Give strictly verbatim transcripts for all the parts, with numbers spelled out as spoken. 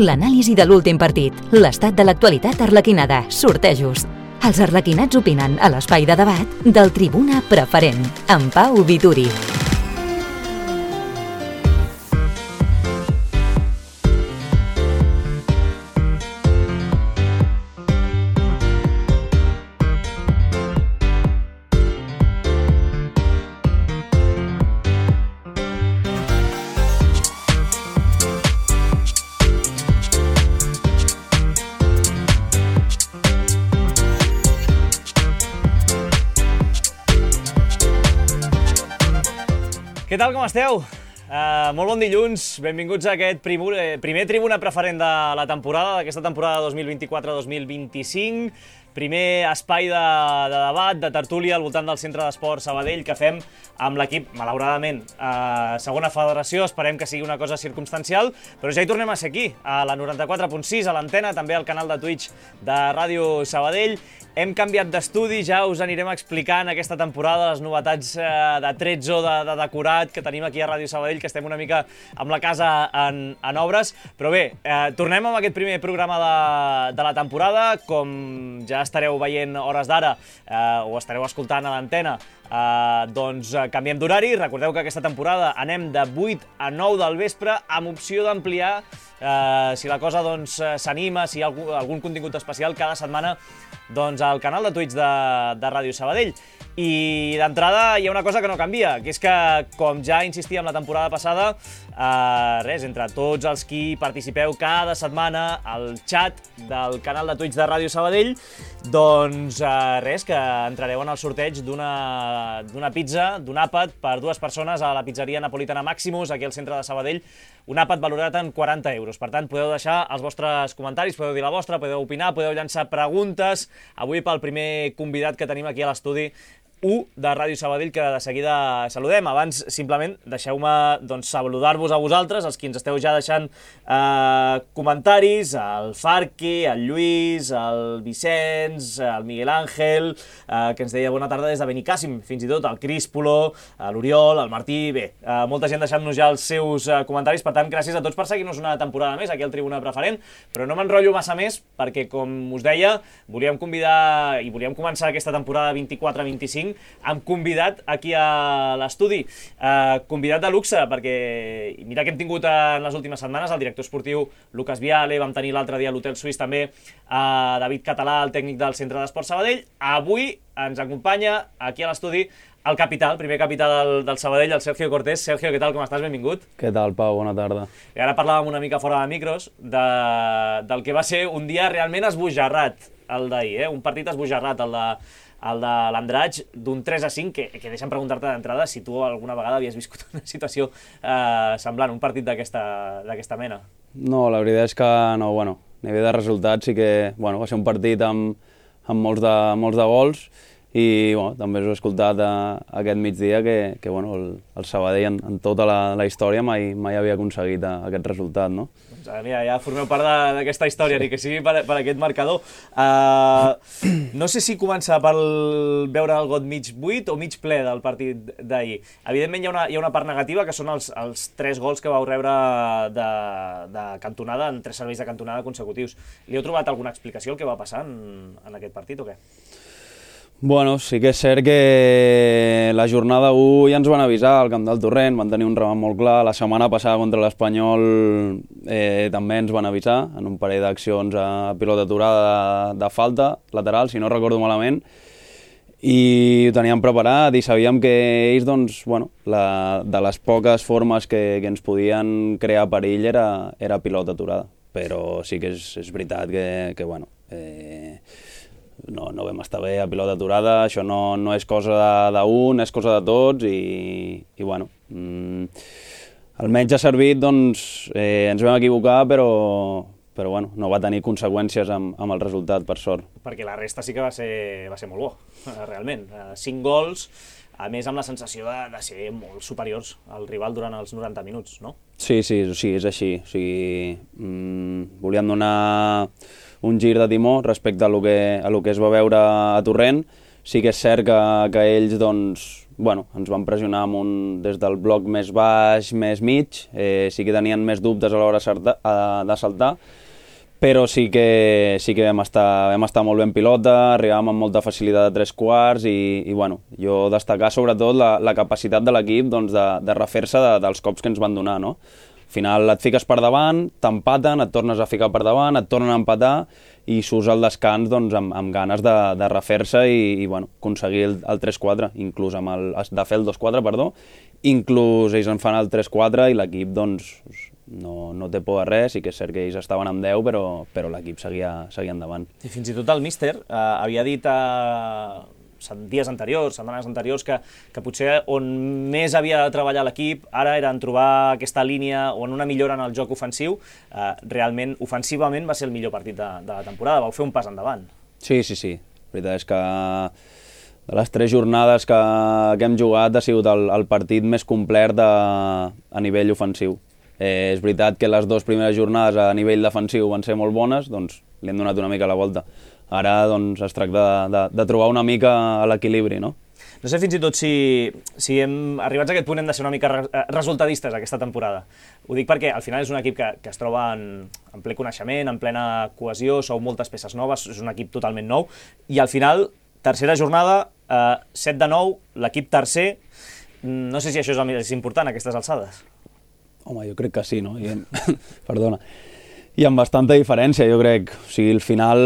l'anàlisi de l'últim partit, l'estat de l'actualitat arlequinada, sortejos. Els arlequinats opinen a l'espai de debat del Tribuna Preferent, amb Pau Vituri. Què tal, com esteu? Uh, molt bon dilluns, benvinguts a aquest primer, primer Tribuna Preferent de la temporada, d'aquesta temporada dos mil vint-i-quatre dos mil vint-i-cinc. Primer espai de, de debat, de tertúlia al voltant del Centre d'Esport Sabadell que fem amb l'equip, malauradament, a segona federació. Esperem que sigui una cosa circumstancial, però ja hi tornem a ser aquí, a la noranta-quatre punt sis, a l'antena, també al canal de Twitch de Ràdio Sabadell. Hem canviat d'estudi, ja us anirem explicant aquesta temporada les novetats eh, de tretze o de, de decorat que tenim aquí a Ràdio Sabadell, que estem una mica amb la casa en, en obres. Però bé, eh, tornem amb aquest primer programa de, de la temporada. Com ja estareu veient hores d'ara, eh, o estareu escoltant a l'antena, eh, doncs eh, canviem d'horari. Recordeu que aquesta temporada anem de vuit a nou del vespre, amb opció d'ampliar, eh, si la cosa doncs s'anima, si hi ha algun, algun contingut especial cada setmana, doncs al canal de Twitch de, de Ràdio Sabadell. I d'entrada hi ha una cosa que no canvia, que és que, com ja insistíem la temporada passada, eh, res, entre tots els qui participeu cada setmana al xat del canal de Twitch de Ràdio Sabadell, doncs eh, res, que entrareu en el sorteig d'una d'una pizza, d'un àpat per dues persones a la pizzeria napolitana Maximus, aquí al centre de Sabadell, un àpat valorat en quaranta euros. Per tant, podeu deixar els vostres comentaris, podeu dir la vostra, podeu opinar, podeu llançar preguntes. Avui pel primer convidat que tenim aquí a l'estudi, u de Ràdio Sabadell, que de seguida saludem. Abans, simplement, deixeu-me doncs, saludar-vos a vosaltres, els qui ens esteu ja deixant eh, comentaris, el Farqui, el Lluís, el Vicenç, el Miguel Àngel, eh, que ens deia bona tarda des de Benicàssim, fins i tot el Críspolo, l'Oriol, el Martí. Bé, eh, molta gent deixant-nos ja els seus eh, comentaris, per tant, gràcies a tots per seguir-nos una temporada més aquí al Tribuna Preferent, però no m'enrotllo massa més, perquè, com us deia, volíem convidar i volíem començar aquesta temporada vint-i-quatre vint-i-cinc hem convidat aquí a l'estudi, eh, convidat de luxe, perquè mira que hem tingut en les últimes setmanes el director esportiu Lucas Viale, vam tenir l'altre dia a l'Hotel Suís també a David Català, el tècnic del Centre d'Esport Sabadell. Avui ens acompanya aquí a l'estudi el capità, el primer capità del, del Sabadell, el Sergio Cortés. Sergio, què tal, com estàs? Benvingut. Què tal, Pau? Bona tarda. I ara parlàvem una mica fora de micros de, del que va ser un dia realment esbojarrat, el d'ahir, eh? Un partit esbojarrat, el de el de l'Andratx, d'un tres a cinc, que, que deixa'm preguntar-te d'entrada si tu alguna vegada havies viscut una situació eh, semblant, un partit d'aquesta mena. No, la veritat és que no, bueno, a nivell de resultats sí que, bueno, va ser un partit amb, amb molts, de, molts de gols i, bueno, també us he escoltat a, a aquest migdia que, que bueno, el, el Sabadell en, en tota la, la història mai, mai havia aconseguit a, aquest resultat, no? Doncs mira, ja formeu part d'aquesta història, ni que sigui per, per aquest marcador. Uh, no sé si començar per veure el got mig buit o mig ple del partit d'ahir. Evidentment hi ha, una, hi ha una part negativa, que són els, els tres gols que vau rebre de, de cantonada, en tres serveis de cantonada consecutius. Li heu trobat alguna explicació al que va passar en, en aquest partit o què? Bueno, sí que és cert que la jornada u ja ens van avisar al Camp del Torrent, van tenir un remat molt clar. La setmana passada contra l'Espanyol eh, també ens van avisar en un parell d'accions a pilota aturada de, de falta lateral, si no recordo malament, i ho teníem preparat i sabíem que ells, doncs, bueno, la, de les poques formes que, que ens podien crear perill era, era pilota aturada. Però sí que és, és veritat que, que bueno, eh, No, no vam estar bé a pilota aturada, això no, no és cosa d'un, és cosa de tots i, i bueno, mm, almenys ha servit, doncs, eh, ens vam equivocar, però, però bueno, no va tenir conseqüències amb, amb el resultat, per sort. Perquè la resta sí que va ser, va ser molt bo, realment. Cinc gols, a més amb la sensació de, de ser molt superiors al rival durant els noranta minuts, no? Sí, sí, sí, és així. O sigui, mm, volíem donar un gir de timó respecte a lo que, a lo que es va veure a Torrent, Sí que és cert que, que ells doncs, bueno, ens van pressionar amb un, des del bloc més baix, més mig, eh, sí que tenien més dubtes a l'hora de saltar, però sí que, sí que vam, estar, vam estar molt ben pilota, arribàvem amb molta facilitat de tres quarts i, i bueno, jo destacar sobretot la, la capacitat de l'equip doncs, de, de refer-se de, dels cops que ens van donar, no? Al final et fiques per davant, t'empaten, et tornes a ficar per davant, et tornen a empatar i surts al descans doncs, amb, amb ganes de, de refer-se i, i bueno, aconseguir el, el tres quatre, inclús amb el, de fer el dos quatre, perdó, inclús ells en fan el tres quatre i l'equip doncs, no, no té por de res, sí que és cert que ells estaven amb deu, però, però l'equip seguia, seguia endavant. I fins i tot el míster eh, havia dit eh, dies anteriors, setmanes anteriors, que, que potser on més havia de treballar l'equip ara era en trobar aquesta línia o en una millora en el joc ofensiu. Eh, realment, ofensivament va ser el millor partit de, de la temporada, vau fer un pas endavant. Sí, sí, sí. La veritat és que de les tres jornades que, que hem jugat ha sigut el, el partit més complet de, a nivell ofensiu. Eh, és veritat que les dues primeres jornades a nivell defensiu van ser molt bones, doncs li hem donat una mica la volta. Ara doncs, es tracta de, de, de trobar una mica a l'equilibri, no? No sé fins i tot si, si hem arribats a aquest punt hem de ser una mica re, resultadistes aquesta temporada. Ho dic perquè al final és un equip que, que es troba en, en ple coneixement, en plena cohesió, sou moltes peces noves, és un equip totalment nou, i al final, tercera jornada, eh, set de nou, l'equip tercer, no sé si això és el més important a aquestes alçades. Home, jo crec que sí, no? I, perdona. I amb bastanta diferència, jo crec. O sigui, al final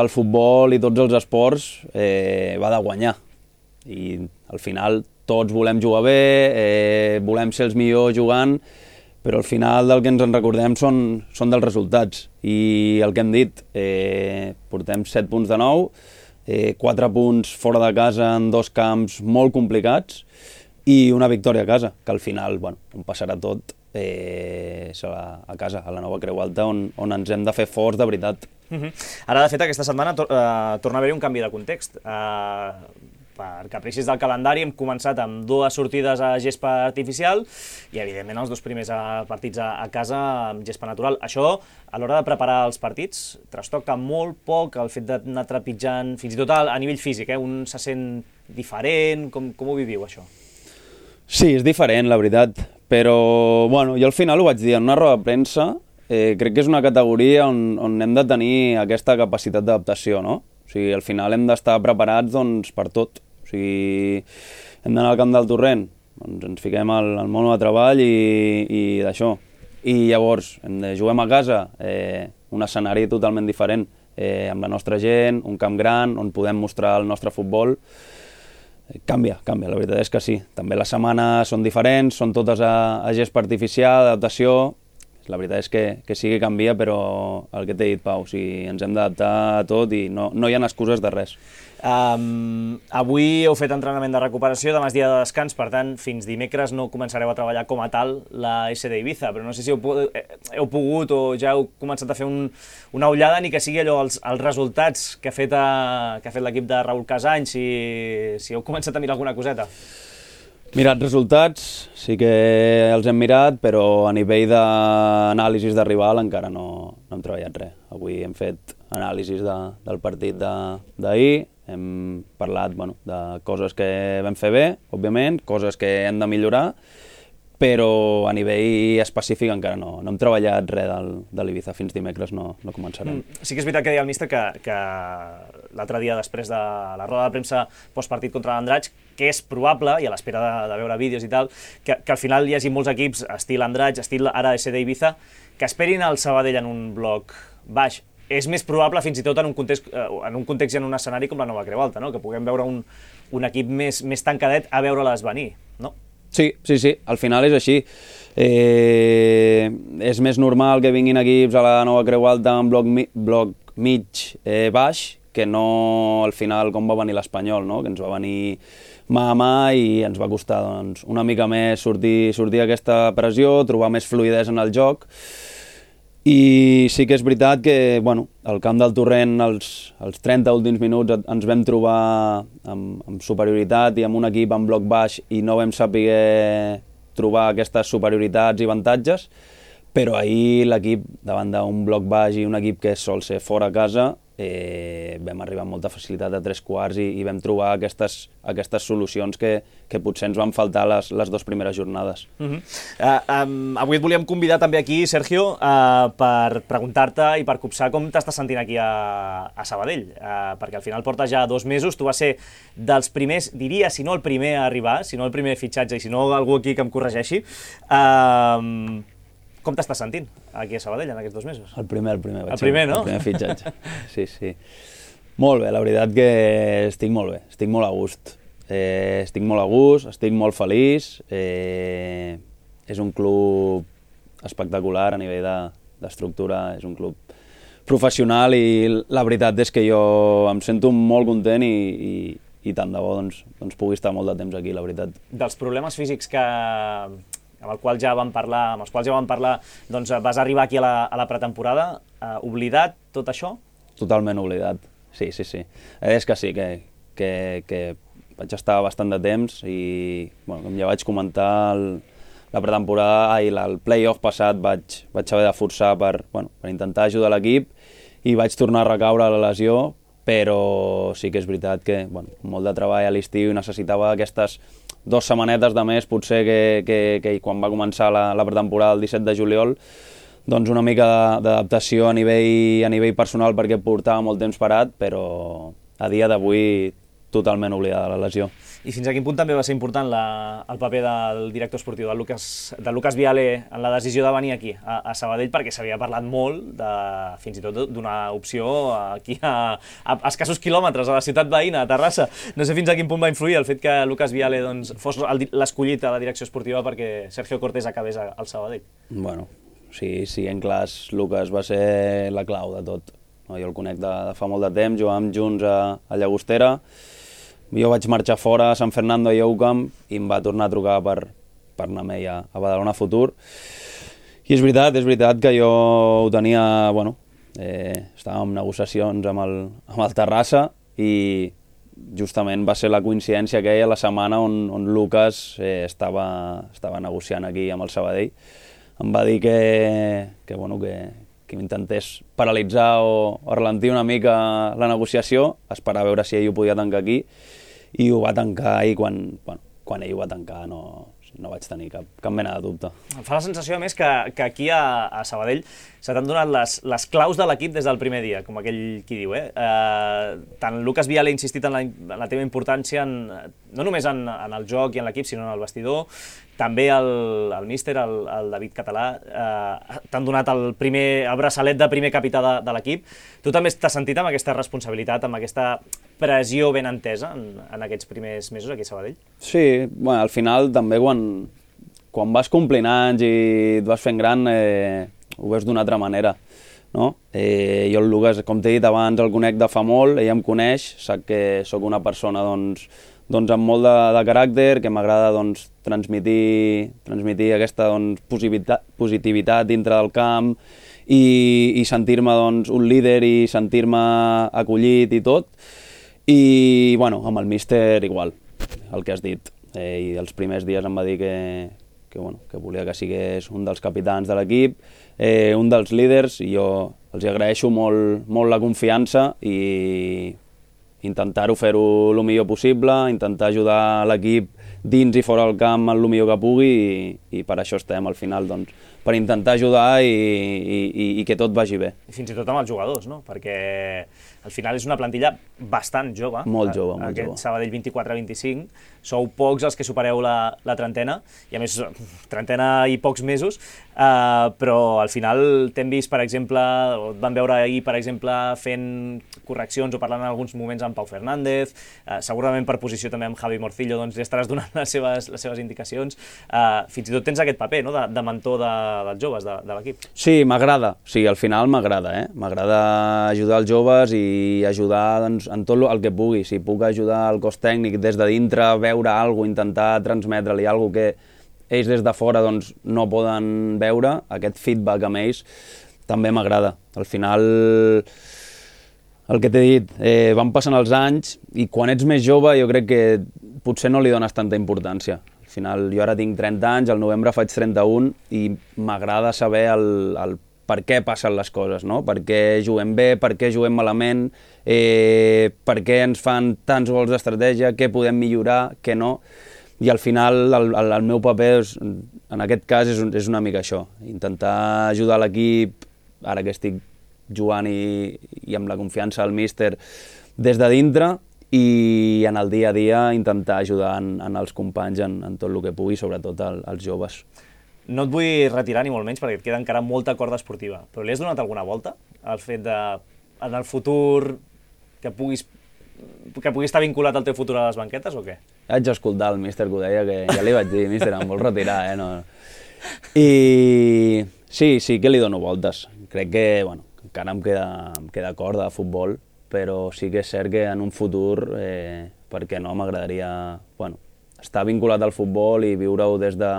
el futbol i tots els esports eh, va de guanyar. I al final tots volem jugar bé, eh, volem ser els millors jugant, però al final del que ens en recordem són, són dels resultats. I el que hem dit, eh, portem set punts de nou, eh, quatre punts fora de casa en dos camps molt complicats i una victòria a casa, que al final, bueno, on passarà tot, Eh, serà a casa, a la nova Creu Alta, on, on ens hem de fer forts de veritat. Uh-huh. Ara, de fet, aquesta setmana tor uh, torna a haver-hi un canvi de context. Uh, per capricis del calendari hem començat amb dues sortides a gespa artificial i, evidentment, els dos primers partits a, a casa amb gespa natural. Això, a l'hora de preparar els partits, trastoca molt poc el fet d'anar trepitjant, fins i tot a, a nivell físic, eh? Un se sent diferent, com, com ho viviu, això? Sí, és diferent, la veritat, però bueno, jo al final ho vaig dir en una roda de premsa, eh, crec que és una categoria on, on hem de tenir aquesta capacitat d'adaptació, no? O sigui, al final hem d'estar preparats doncs, per tot. O sigui, hem d'anar al camp del Torrent, doncs ens fiquem al, al mono de treball i, i d'això. I llavors, hem de juguem a casa, eh, un escenari totalment diferent, eh, amb la nostra gent, un camp gran, on podem mostrar el nostre futbol. Canvia, canvia, la veritat és que sí. També les setmanes són diferents, són totes a, a gespa artificial, adaptació. La veritat és que, que sí que canvia, però el que t'he dit, Pau, o sigui, ens hem d'adaptar a tot i no, no hi ha excuses de res. Um, avui heu fet entrenament de recuperació, demà és dia de descans, per tant, fins dimecres no començareu a treballar com a tal la S D Ibiza, però no sé si heu, heu pogut o ja heu començat a fer un, una ullada, ni que sigui allò, els, els resultats que ha fet, fet l'equip de Raül Casany, si, si heu començat a mirar alguna coseta. Mirat resultats, sí que els hem mirat, però a nivell d'anàlisis de rival encara no, no hem treballat res. Avui hem fet anàlisis de, del partit d'ahir, hem parlat bueno, de coses que vam fer bé, òbviament, coses que hem de millorar, però a nivell específic encara no, no hem treballat res del, de l'Ibiza, fins dimecres no, no començarem. Mm, sí que és veritat que deia el míster que, que l'altre dia després de la roda de premsa postpartit contra l'Andratx, que és probable, i a l'espera de, de veure vídeos i tal, que, que al final hi hagi molts equips, estil Andratx, estil ara S D Ibiza, que esperin el Sabadell en un bloc baix. És més probable fins i tot en un context, en un context i en un escenari com la nova Creu Alta, no? Que puguem veure un, un equip més, més tancadet a veure-les venir, no? Sí, sí, sí, al final és així. Eh, és més normal que vinguin equips a la nova Creu Alta en bloc, mi, bloc mig eh, baix, que no al final com va venir l'Espanyol, no? Que ens va venir mà a mà i ens va costar doncs, una mica més sortir, sortir aquesta pressió, trobar més fluïdesa en el joc. I sí que és veritat que bueno, al camp del Torrent els, els trenta últims minuts ens vam trobar amb, amb superioritat i amb un equip en bloc baix i no vam saber trobar aquestes superioritats i avantatges, però ahir l'equip davant d'un bloc baix i un equip que sol ser fora a casa eh, vam arribar amb molta facilitat a tres quarts i, i vam trobar aquestes, aquestes solucions que, que potser ens van faltar les, les dues primeres jornades. Uh-huh. uh, um, avui et volíem convidar també aquí, Sergio, uh, per preguntar-te i per copsar com t'estàs sentint aquí a, a Sabadell, uh, perquè al final portes ja dos mesos, tu vas ser dels primers, diria, si no el primer a arribar, si no el primer fitxatge i si no algú aquí que em corregeixi. Uh, com t'estàs sentint aquí a Sabadell en aquests dos mesos? El primer, el primer. El primer, no? El primer fitxatge. Sí, sí. Molt bé, la veritat que estic molt bé, estic molt a gust. Eh, estic molt a gust, estic molt feliç. Eh, és un club espectacular a nivell de, d'estructura, és un club professional i la veritat és que jo em sento molt content i, i, i tant de bo doncs, doncs pugui estar molt de temps aquí, la veritat. Dels problemes físics que... amb el qual ja vam parlar, amb els quals ja vam parlar, doncs vas arribar aquí a la, a la pretemporada, eh, oblidat tot això? Totalment oblidat, sí, sí, sí. És que sí, que, que, que vaig estar bastant de temps i, bueno, com ja vaig comentar, el, la pretemporada i el play-off passat vaig, vaig haver de forçar per, bueno, per intentar ajudar l'equip i vaig tornar a recaure a la lesió, però sí que és veritat que, bueno, molt de treball a l'estiu i necessitava aquestes dues setmanetes de més, potser que, que, que quan va començar la, la pretemporada el disset de juliol, doncs una mica d'adaptació a nivell, a nivell personal perquè portava molt temps parat, però a dia d'avui totalment oblidada la lesió. I fins a quin punt també va ser important la, el paper del director esportiu, del Lucas, del Lucas Viale, en la decisió de venir aquí, a, a Sabadell, perquè s'havia parlat molt, de, fins i tot d'una opció aquí a, a, a escassos quilòmetres, a la ciutat veïna, a Terrassa. No sé fins a quin punt va influir el fet que Lucas Viale doncs, fos l'escollit a la direcció esportiva perquè Sergio Cortés acabés al Sabadell. Bueno, sí, sí, en clars, Lucas va ser la clau de tot. No, jo el conec de, de fa molt de temps, jugàvem junts a, a Llagostera. Jo vaig marxar fora a San Fernando i a UCAM i em va tornar a trucar per, per anar amb ell a, a Badalona Futur. I és veritat, és veritat que jo ho tenia, bueno, eh, estàvem en negociacions amb el, amb el Terrassa i justament va ser la coincidència aquella la setmana on, on Lucas eh, estava, estava negociant aquí amb el Sabadell. Em va dir que, que, bueno, que, que m'intentés paralitzar o, o ralentir una mica la negociació, esperar a veure si ell ho podia tancar aquí, i ho va tancar i quan, bueno, quan ell ho va tancar no, no vaig tenir cap, cap mena de dubte. Em fa la sensació, a més, que, que aquí a, a Sabadell se t'han donat les, les claus de l'equip des del primer dia, com aquell qui diu. Eh? Eh, tant Lucas Viale ha insistit en la, en la teva importància, en, no només en, en el joc i en l'equip, sinó en el vestidor. També el, el míster, el, el David Català, eh, t'han donat el, primer, el braçalet de primer capità de, de l'equip. Tu també t'has sentit amb aquesta responsabilitat, amb aquesta pressió ben entesa en, en aquests primers mesos aquí a Sabadell? Sí, bueno, al final també quan, quan vas complint anys i et vas fent gran eh, ho veus d'una altra manera. No? Eh, jo el Lucas, com t'he dit abans, el conec de fa molt, ell em coneix, sap que sóc una persona doncs, doncs amb molt de, de caràcter, que m'agrada doncs, transmitir, transmitir aquesta doncs, positivitat, positivitat dintre del camp i, i sentir-me doncs, un líder i sentir-me acollit i tot. I bueno, amb el míster igual, el que has dit. Eh, I els primers dies em va dir que, que, bueno, que volia que sigués un dels capitans de l'equip, eh, un dels líders, i jo els agraeixo molt, molt la confiança i intentar-ho fer-ho el millor possible, intentar ajudar l'equip dins i fora del camp el millor que pugui i, i per això estem al final, doncs, per intentar ajudar i, i, i que tot vagi bé. I fins i tot amb els jugadors, no? Perquè al final és una plantilla bastant jove. Molt jove, molt Aquest jove. Sabadell vint-i-quatre vint-i-cinc. Sou pocs els que supereu la, la trentena, i a més, trentena i pocs mesos, eh, però al final t'hem vist, per exemple, o et van veure ahir, per exemple, fent correccions o parlant en alguns moments amb Pau Fernández, eh, segurament per posició també amb Javi Morcillo, doncs li estaràs donant les seves, les seves indicacions. Eh, fins i tot tens aquest paper, no?, de, de mentor de, dels joves de, de l'equip. Sí, m'agrada, sí, al final m'agrada, eh? M'agrada ajudar els joves i ajudar doncs, en tot el que pugui. Si puc ajudar el cos tècnic des de dintre, veure alguna cosa, intentar transmetre-li alguna cosa que ells des de fora doncs, no poden veure, aquest feedback amb ells també m'agrada. Al final, el que t'he dit, eh, van passant els anys i quan ets més jove jo crec que potser no li dones tanta importància. Al final, jo ara tinc trenta anys, al novembre faig trenta-un i m'agrada saber el, el per què passen les coses, no? Per què juguem bé, per què juguem malament, eh, per què ens fan tants gols d'estratègia, què podem millorar, què no. I al final el, el, el meu paper, és, en aquest cas, és, és una mica això, intentar ajudar l'equip, ara que estic jugant i, i amb la confiança del míster des de dintre, i en el dia a dia intentar ajudar en, en els companys en, en tot el que pugui, sobretot el, els joves. No et vull retirar ni molt menys perquè et queda encara molta corda esportiva, però li has donat alguna volta al fet de, en el futur, que puguis, que puguis estar vinculat al teu futur a les banquetes o què? Haig d'escoltar el míster que ho deia, que ja li vaig dir, míster, em vols retirar, eh? No. I sí, sí que li dono voltes. Crec que, bueno, encara em queda, em queda corda de futbol, però sí que és cert que en un futur, eh, perquè no, m'agradaria, bueno, estar vinculat al futbol i viure-ho des de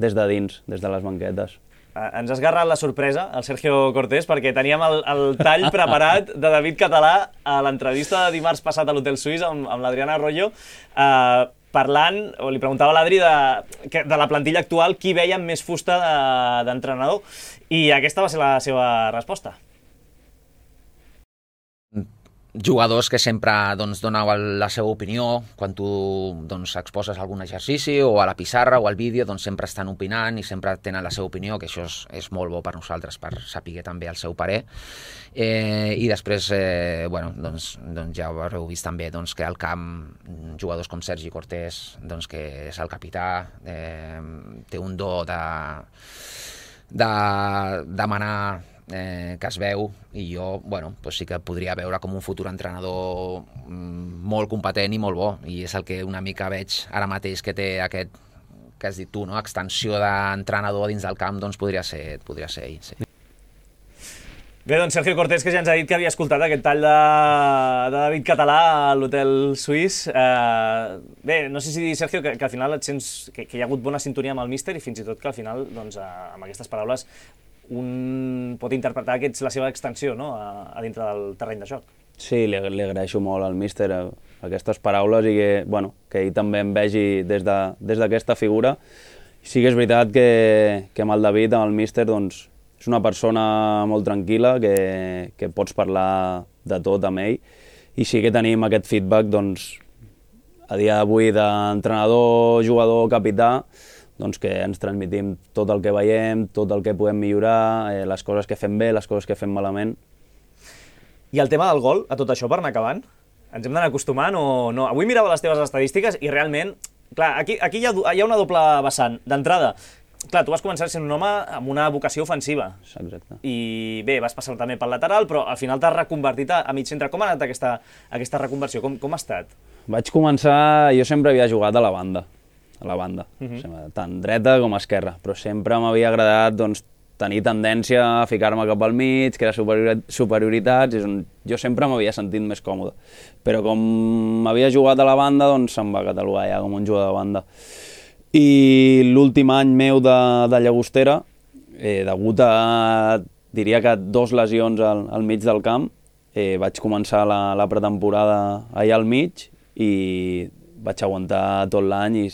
des de dins, des de les banquetes. Ens has agarrat la sorpresa, el Sergio Cortés, perquè teníem el, el tall preparat de David Català a l'entrevista de dimarts passat a l'Hotel Suís amb, amb l'Adriana Arroyo, eh, parlant, o li preguntava a l'Adri de, de la plantilla actual qui veia amb més fusta d'entrenador, i aquesta va ser la seva resposta. Jugadors que sempre doncs, doneu la seva opinió quan tu doncs, exposes algun exercici o a la pissarra o al vídeo, doncs, sempre estan opinant i sempre tenen la seva opinió, que això és, és molt bo per nosaltres, per saber també el seu parer. Eh, I després, eh, bueno, doncs, doncs ja ho haureu vist també doncs, que al camp jugadors com Sergi Cortés, doncs, que és el capità, eh, té un do de, de demanar Eh, que es veu, i jo bueno, doncs sí que podria veure com un futur entrenador mm, molt competent i molt bo, i és el que una mica veig ara mateix que té aquest, que has dit tu, no? Extensió d'entrenador dins del camp, doncs podria ser, podria ser ell, sí. Bé, doncs Sergio Cortés, que ja ens ha dit que havia escoltat aquest tall de, de David Català a l'Hotel Suís. Eh, bé, no sé si dir, Sergio, que, que al final et sents que, que hi ha hagut bona sintonia amb el míster i fins i tot que al final, doncs, a, amb aquestes paraules, un pot interpretar que ets la seva extensió, no?, a, a dintre del terreny de joc. Sí, li, li agraeixo molt al míster eh, aquestes paraules i que, bueno, que ell també em vegi des de, des d'aquesta figura. Sí que és veritat que, que amb el David, amb el míster, doncs, és una persona molt tranquil·la, que, que pots parlar de tot amb ell, i sí que tenim aquest feedback, doncs, a dia d'avui d'entrenador, jugador, capità, doncs que ens transmitim tot el que veiem, tot el que podem millorar, eh, les coses que fem bé, les coses que fem malament. I el tema del gol, a tot això, per anar acabant, ens hem d'anar acostumant o no? Avui mirava les teves estadístiques i realment, clar, aquí, aquí hi ha, hi ha una doble vessant. D'entrada, clar, tu vas començar sent un home amb una vocació ofensiva. Exacte. I bé, vas passar també pel lateral, però al final t'has reconvertit a, a mig centre. Com ha anat aquesta, aquesta reconversió? Com, com ha estat? Vaig començar, jo sempre havia jugat a la banda, a la banda, Mhm. sempre, tant dreta com esquerra, però sempre m'havia agradat doncs, tenir tendència a ficar-me cap al mig, crear superiori- superioritats, és on jo sempre m'havia sentit més còmode. Però com m'havia jugat a la banda, doncs se'm va catalogar ja com un jugador de banda. I l'últim any meu de, de Llagostera, eh, degut a, diria que dos lesions al, al mig del camp, eh, vaig començar la, la pretemporada allà al mig i vaig aguantar tot l'any i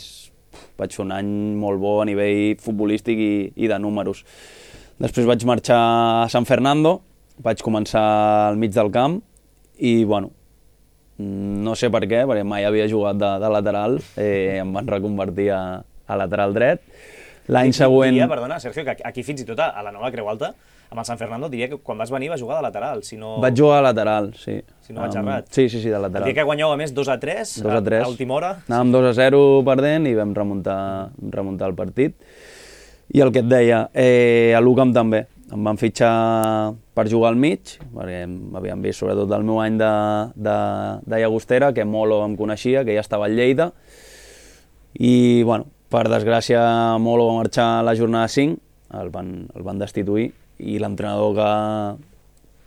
vaig fer un any molt bo a nivell futbolístic i, i de números. Després vaig marxar a San Fernando, vaig començar al mig del camp i, bueno, no sé per què, perquè mai havia jugat de, de lateral, eh, em van reconvertir a, a lateral dret. L'any següent... Diria, perdona, Sergio, que aquí fins i tot a la nova Creu Alta, amb el San Fernando, diria que quan vas venir vas jugar de lateral, si no... Vaig jugar a lateral, sí. Si no vaig Um, errat. Sí, sí, sí, de El lateral. dia que guanyeu, a més, dos a tres, dos a tres. a última hora. Anàvem dos a zero perdent i vam remuntar, remuntar el partit. I el que et deia, eh, a l'U C A M també. Em van fitxar per jugar al mig, perquè m'havien vist sobretot el meu any de, de, de Llagostera, que Molo em coneixia, que ja estava a Lleida. I, bueno, per desgràcia, Molo va marxar a la jornada cinc, el van, el van destituir, i l'entrenador que,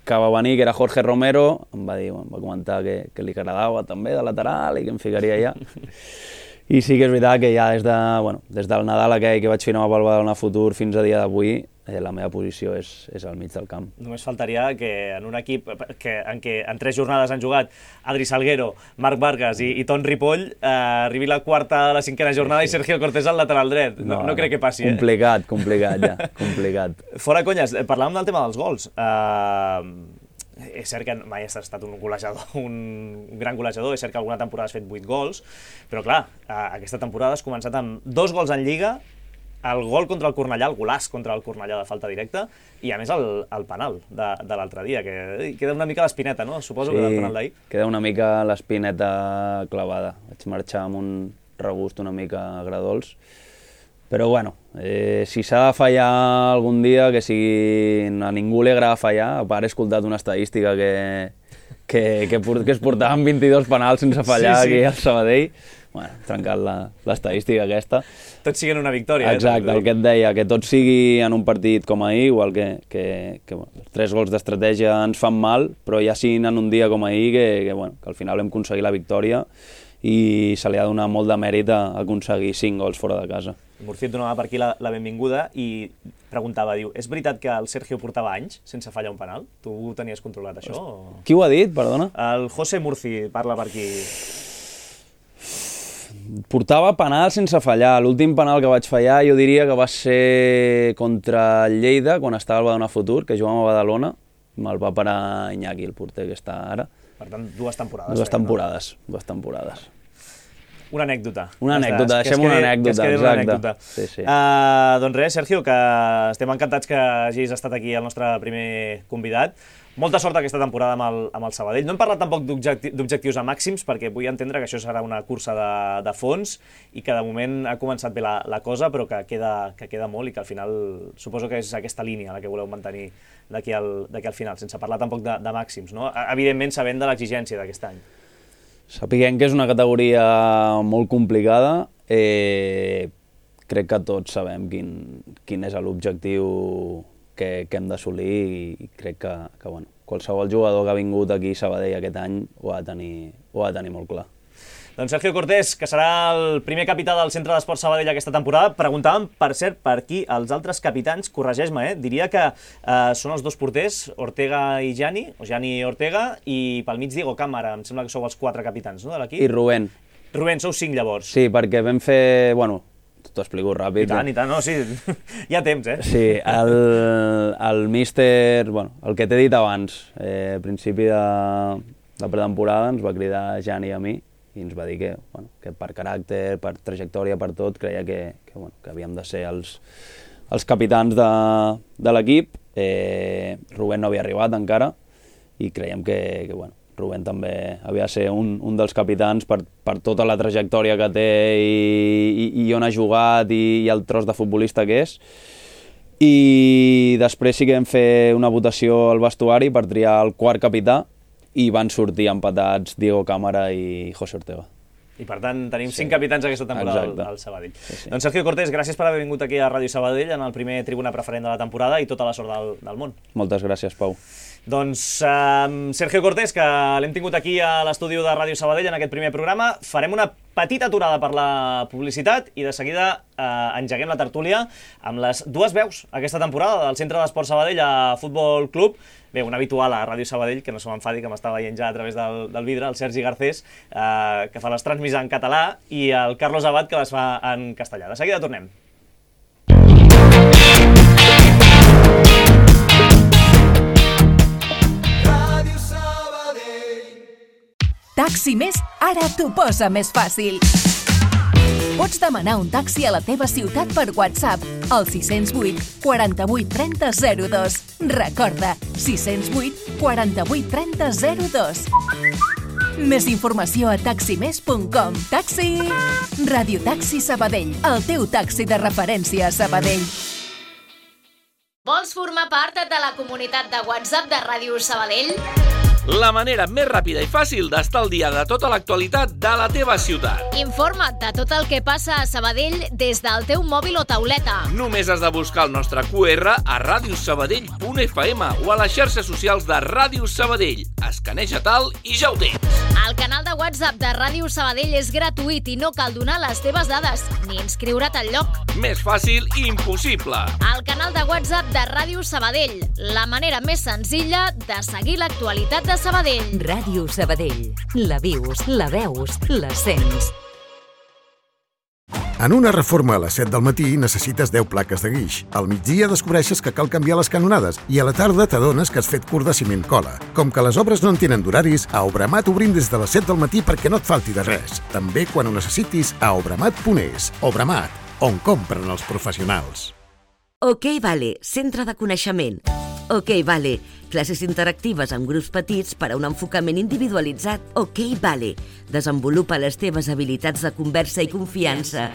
que va venir, que era Jorge Romero, em va dir, em va comentar que, que li agradava també de lateral i que em ficaria allà. I sí que és veritat que ja des, de, bueno, des del Nadal aquell que vaig firmar pel Badalona Futur fins a dia d'avui, eh, la meva posició és, és al mig del camp. Només faltaria que en un equip que, en què en tres jornades han jugat Adri Salguero, Marc Vargas i, i Ton Ripoll, eh, arribi la quarta a la cinquena jornada sí, sí. i Sergio Cortés al lateral dret. No, no, no crec que passi. Complicat, eh? complicat ja, complicat. Fora conyes, parlàvem del tema dels gols. Uh, és cert que mai has estat un golejador, un, un gran golejador, és cert que alguna temporada has fet vuit gols, però clar, aquesta temporada has començat amb dos gols en Lliga, el gol contra el Cornellà, el golaç contra el Cornellà de falta directa, i a més el, el penal de, de l'altre dia, que queda una mica l'espineta, no? Suposo sí, que del penal d'ahir. Queda una mica l'espineta clavada. Vaig marxar amb un regust una mica agradols. Però bueno, eh, si s'ha de fallar algun dia, que sigui... A ningú li agrada fallar, a part he escoltat una estadística que, que, que, que es portaven vint-i-dos penals sense fallar sí, sí. aquí al Sabadell. Bueno, trencat l'estadística aquesta. Tots siguen una victòria. Exacte, eh, el que et deia, que tot sigui en un partit com ahir, igual que, que, que bueno, els tres gols d'estratègia ens fan mal, però ja siguin en un dia com ahir, que, que, bueno, que al final hem aconseguit la victòria i se li ha donat molt de mèrit a aconseguir cinc gols fora de casa. Murci et donava per aquí la, la benvinguda i preguntava, diu, és veritat que el Sergio portava anys sense fallar un penal? Tu ho tenies controlat, això? O... Qui ho ha dit, perdona? El José Murci parla per aquí. Portava penal sense fallar. L'últim penal que vaig fallar jo diria que va ser contra el Lleida, quan estava al Badalona Futur, que jugàvem a Badalona. Me'l va parar Iñaki, el porter que està ara. Per tant, dues temporades. Dues temporades, no? dues temporades. Una anècdota. Una anècdota, deixem una anècdota, exacte. Sí, sí. Uh, doncs res, Sergio, que estem encantats que hagis estat aquí el nostre primer convidat. Molta sort aquesta temporada amb el, amb el Sabadell. No hem parlat tampoc d'objectius a màxims, perquè vull entendre que això serà una cursa de, de fons i que de moment ha començat bé la, la cosa, però que queda, que queda molt i que al final suposo que és aquesta línia la que voleu mantenir d'aquí al, d'aquí al final, sense parlar tampoc de, de màxims, no? Evidentment sabent de l'exigència d'aquest any. Sapiguem que és una categoria molt complicada, eh, crec que tots sabem quin, quin és l'objectiu que, que hem d'assolir i crec que, que bueno, qualsevol jugador que ha vingut aquí a Sabadell aquest any ho ha de tenir, ho ha de tenir molt clar. Doncs Sergio Cortés, que serà el primer capità del Centre d'Esports Sabadell aquesta temporada. Preguntàvem, per cert, per aquí els altres capitans, corregeix-me, eh? Diria que eh, són els dos porters, Ortega i Jani, o Jani i Ortega, i pel mig Diego Cámara, em sembla que sou els quatre capitans, no, de l'equip? I Rubén. Rubén, sou cinc llavors. Sí, perquè vam fer, bueno, t'ho explico ràpid. I tant, i tant, no, sí, hi ha temps, eh? Sí, el, el míster, bueno, el que t'he dit abans, eh, a principi de, de pretemporada ens va cridar Jani a mi, i ens va dir que, bueno, que per caràcter, per trajectòria, per tot, creia que, que, bueno, que havíem de ser els, els capitans de, de l'equip. Eh, Rubén no havia arribat encara i creiem que, que bueno, Rubén també havia de ser un, un dels capitans per, per tota la trajectòria que té i, i, i on ha jugat i, i el tros de futbolista que és. I després sí que vam fer una votació al vestuari per triar el quart capità i van sortir empatats Diego Cámara i José Ortega. I per tant tenim sí. cinc capitans aquesta temporada al, al Sabadell. Sí, sí. Doncs Sergio Cortés, gràcies per haver vingut aquí a Ràdio Sabadell en el primer Tribuna Preferent de la temporada i tota la sort del, del món. Moltes gràcies, Pau. Doncs um, Sergio Cortés, que l'hem tingut aquí a l'estudi de Ràdio Sabadell en aquest primer programa. Farem una petita aturada per la publicitat i de seguida uh, engeguem la tertúlia amb les dues veus aquesta temporada del Centre d'Esports Sabadell a Futbol Club. Bé, un habitual a Ràdio Sabadell, que no se m'enfadi, que m'està veient ja a través del, del vidre, el Sergi Garcés, eh, que fa les transmissions en català, i el Carlos Abad, que les fa en castellà. De seguida tornem. Ràdio Sabadell. Taxi Més ara t'ho posa més fàcil. Pots demanar un taxi a la teva ciutat per WhatsApp al sis zero vuit, quaranta-vuit, trenta, zero dos. Recorda, sis zero vuit, quaranta-vuit, trenta, zero dos. Més informació a taxi més punt com. Taxi! Radio Taxi Sabadell, el teu taxi de referència a Sabadell. Vols formar part de la comunitat de WhatsApp de Ràdio Sabadell? la manera més ràpida i fàcil d'estar al dia de tota l'actualitat de la teva ciutat. Informa't de tot el que passa a Sabadell des del teu mòbil o tauleta. Només has de buscar el nostre Q R a radiosabadell punt f m o a les xarxes socials de Ràdio Sabadell. Escaneja-te'l i ja ho tens. El canal de WhatsApp de Ràdio Sabadell és gratuït i no cal donar les teves dades ni inscriure't al lloc. Més fàcil i impossible. El canal de WhatsApp de Ràdio Sabadell, la manera més senzilla de seguir l'actualitat de Sabadell. Ràdio Sabadell. La vius, la veus, la sents. En una reforma a les set del matí necessites deu plaques de guix. Al migdia descobreixes que cal canviar les canonades i a la tarda t'adones que has fet curt de ciment cola. Com que les obres no en tenen d'horaris, a Obramat obrim des de les set del matí perquè no et falti de res. També quan ho necessitis a obramat punt es. Obramat, on compren els professionals. OK Vale, centre de coneixement. OK Vale, classes interactives amb grups petits per a un enfocament individualitzat. OK Vale, desenvolupa les teves habilitats de conversa i confiança.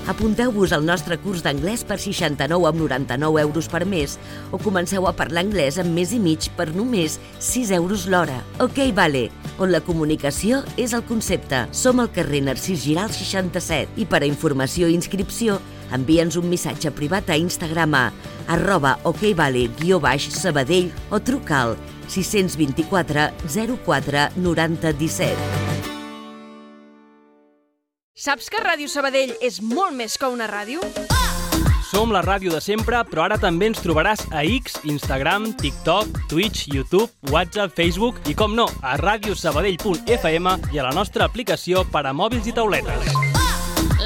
Apunteu-vos al nostre curs d'anglès per seixanta-nou coma noranta-nou euros per mes o comenceu a parlar anglès en mes i mig per només sis euros l'hora. OK Vale, on la comunicació és el concepte. Som al carrer Narcís Giral seixanta-set i per a informació i inscripció envia'ns un missatge privat a Instagram a arroba okvale guió baix Sabadell o truca al sis dos quatre zero quatre noranta disset. Saps que Ràdio Sabadell és molt més que una ràdio? Som la ràdio de sempre, però ara també ens trobaràs a X, Instagram, TikTok, Twitch, YouTube, WhatsApp, Facebook i, com no, a radiosabadell punt f m i a la nostra aplicació per a mòbils i tauletes.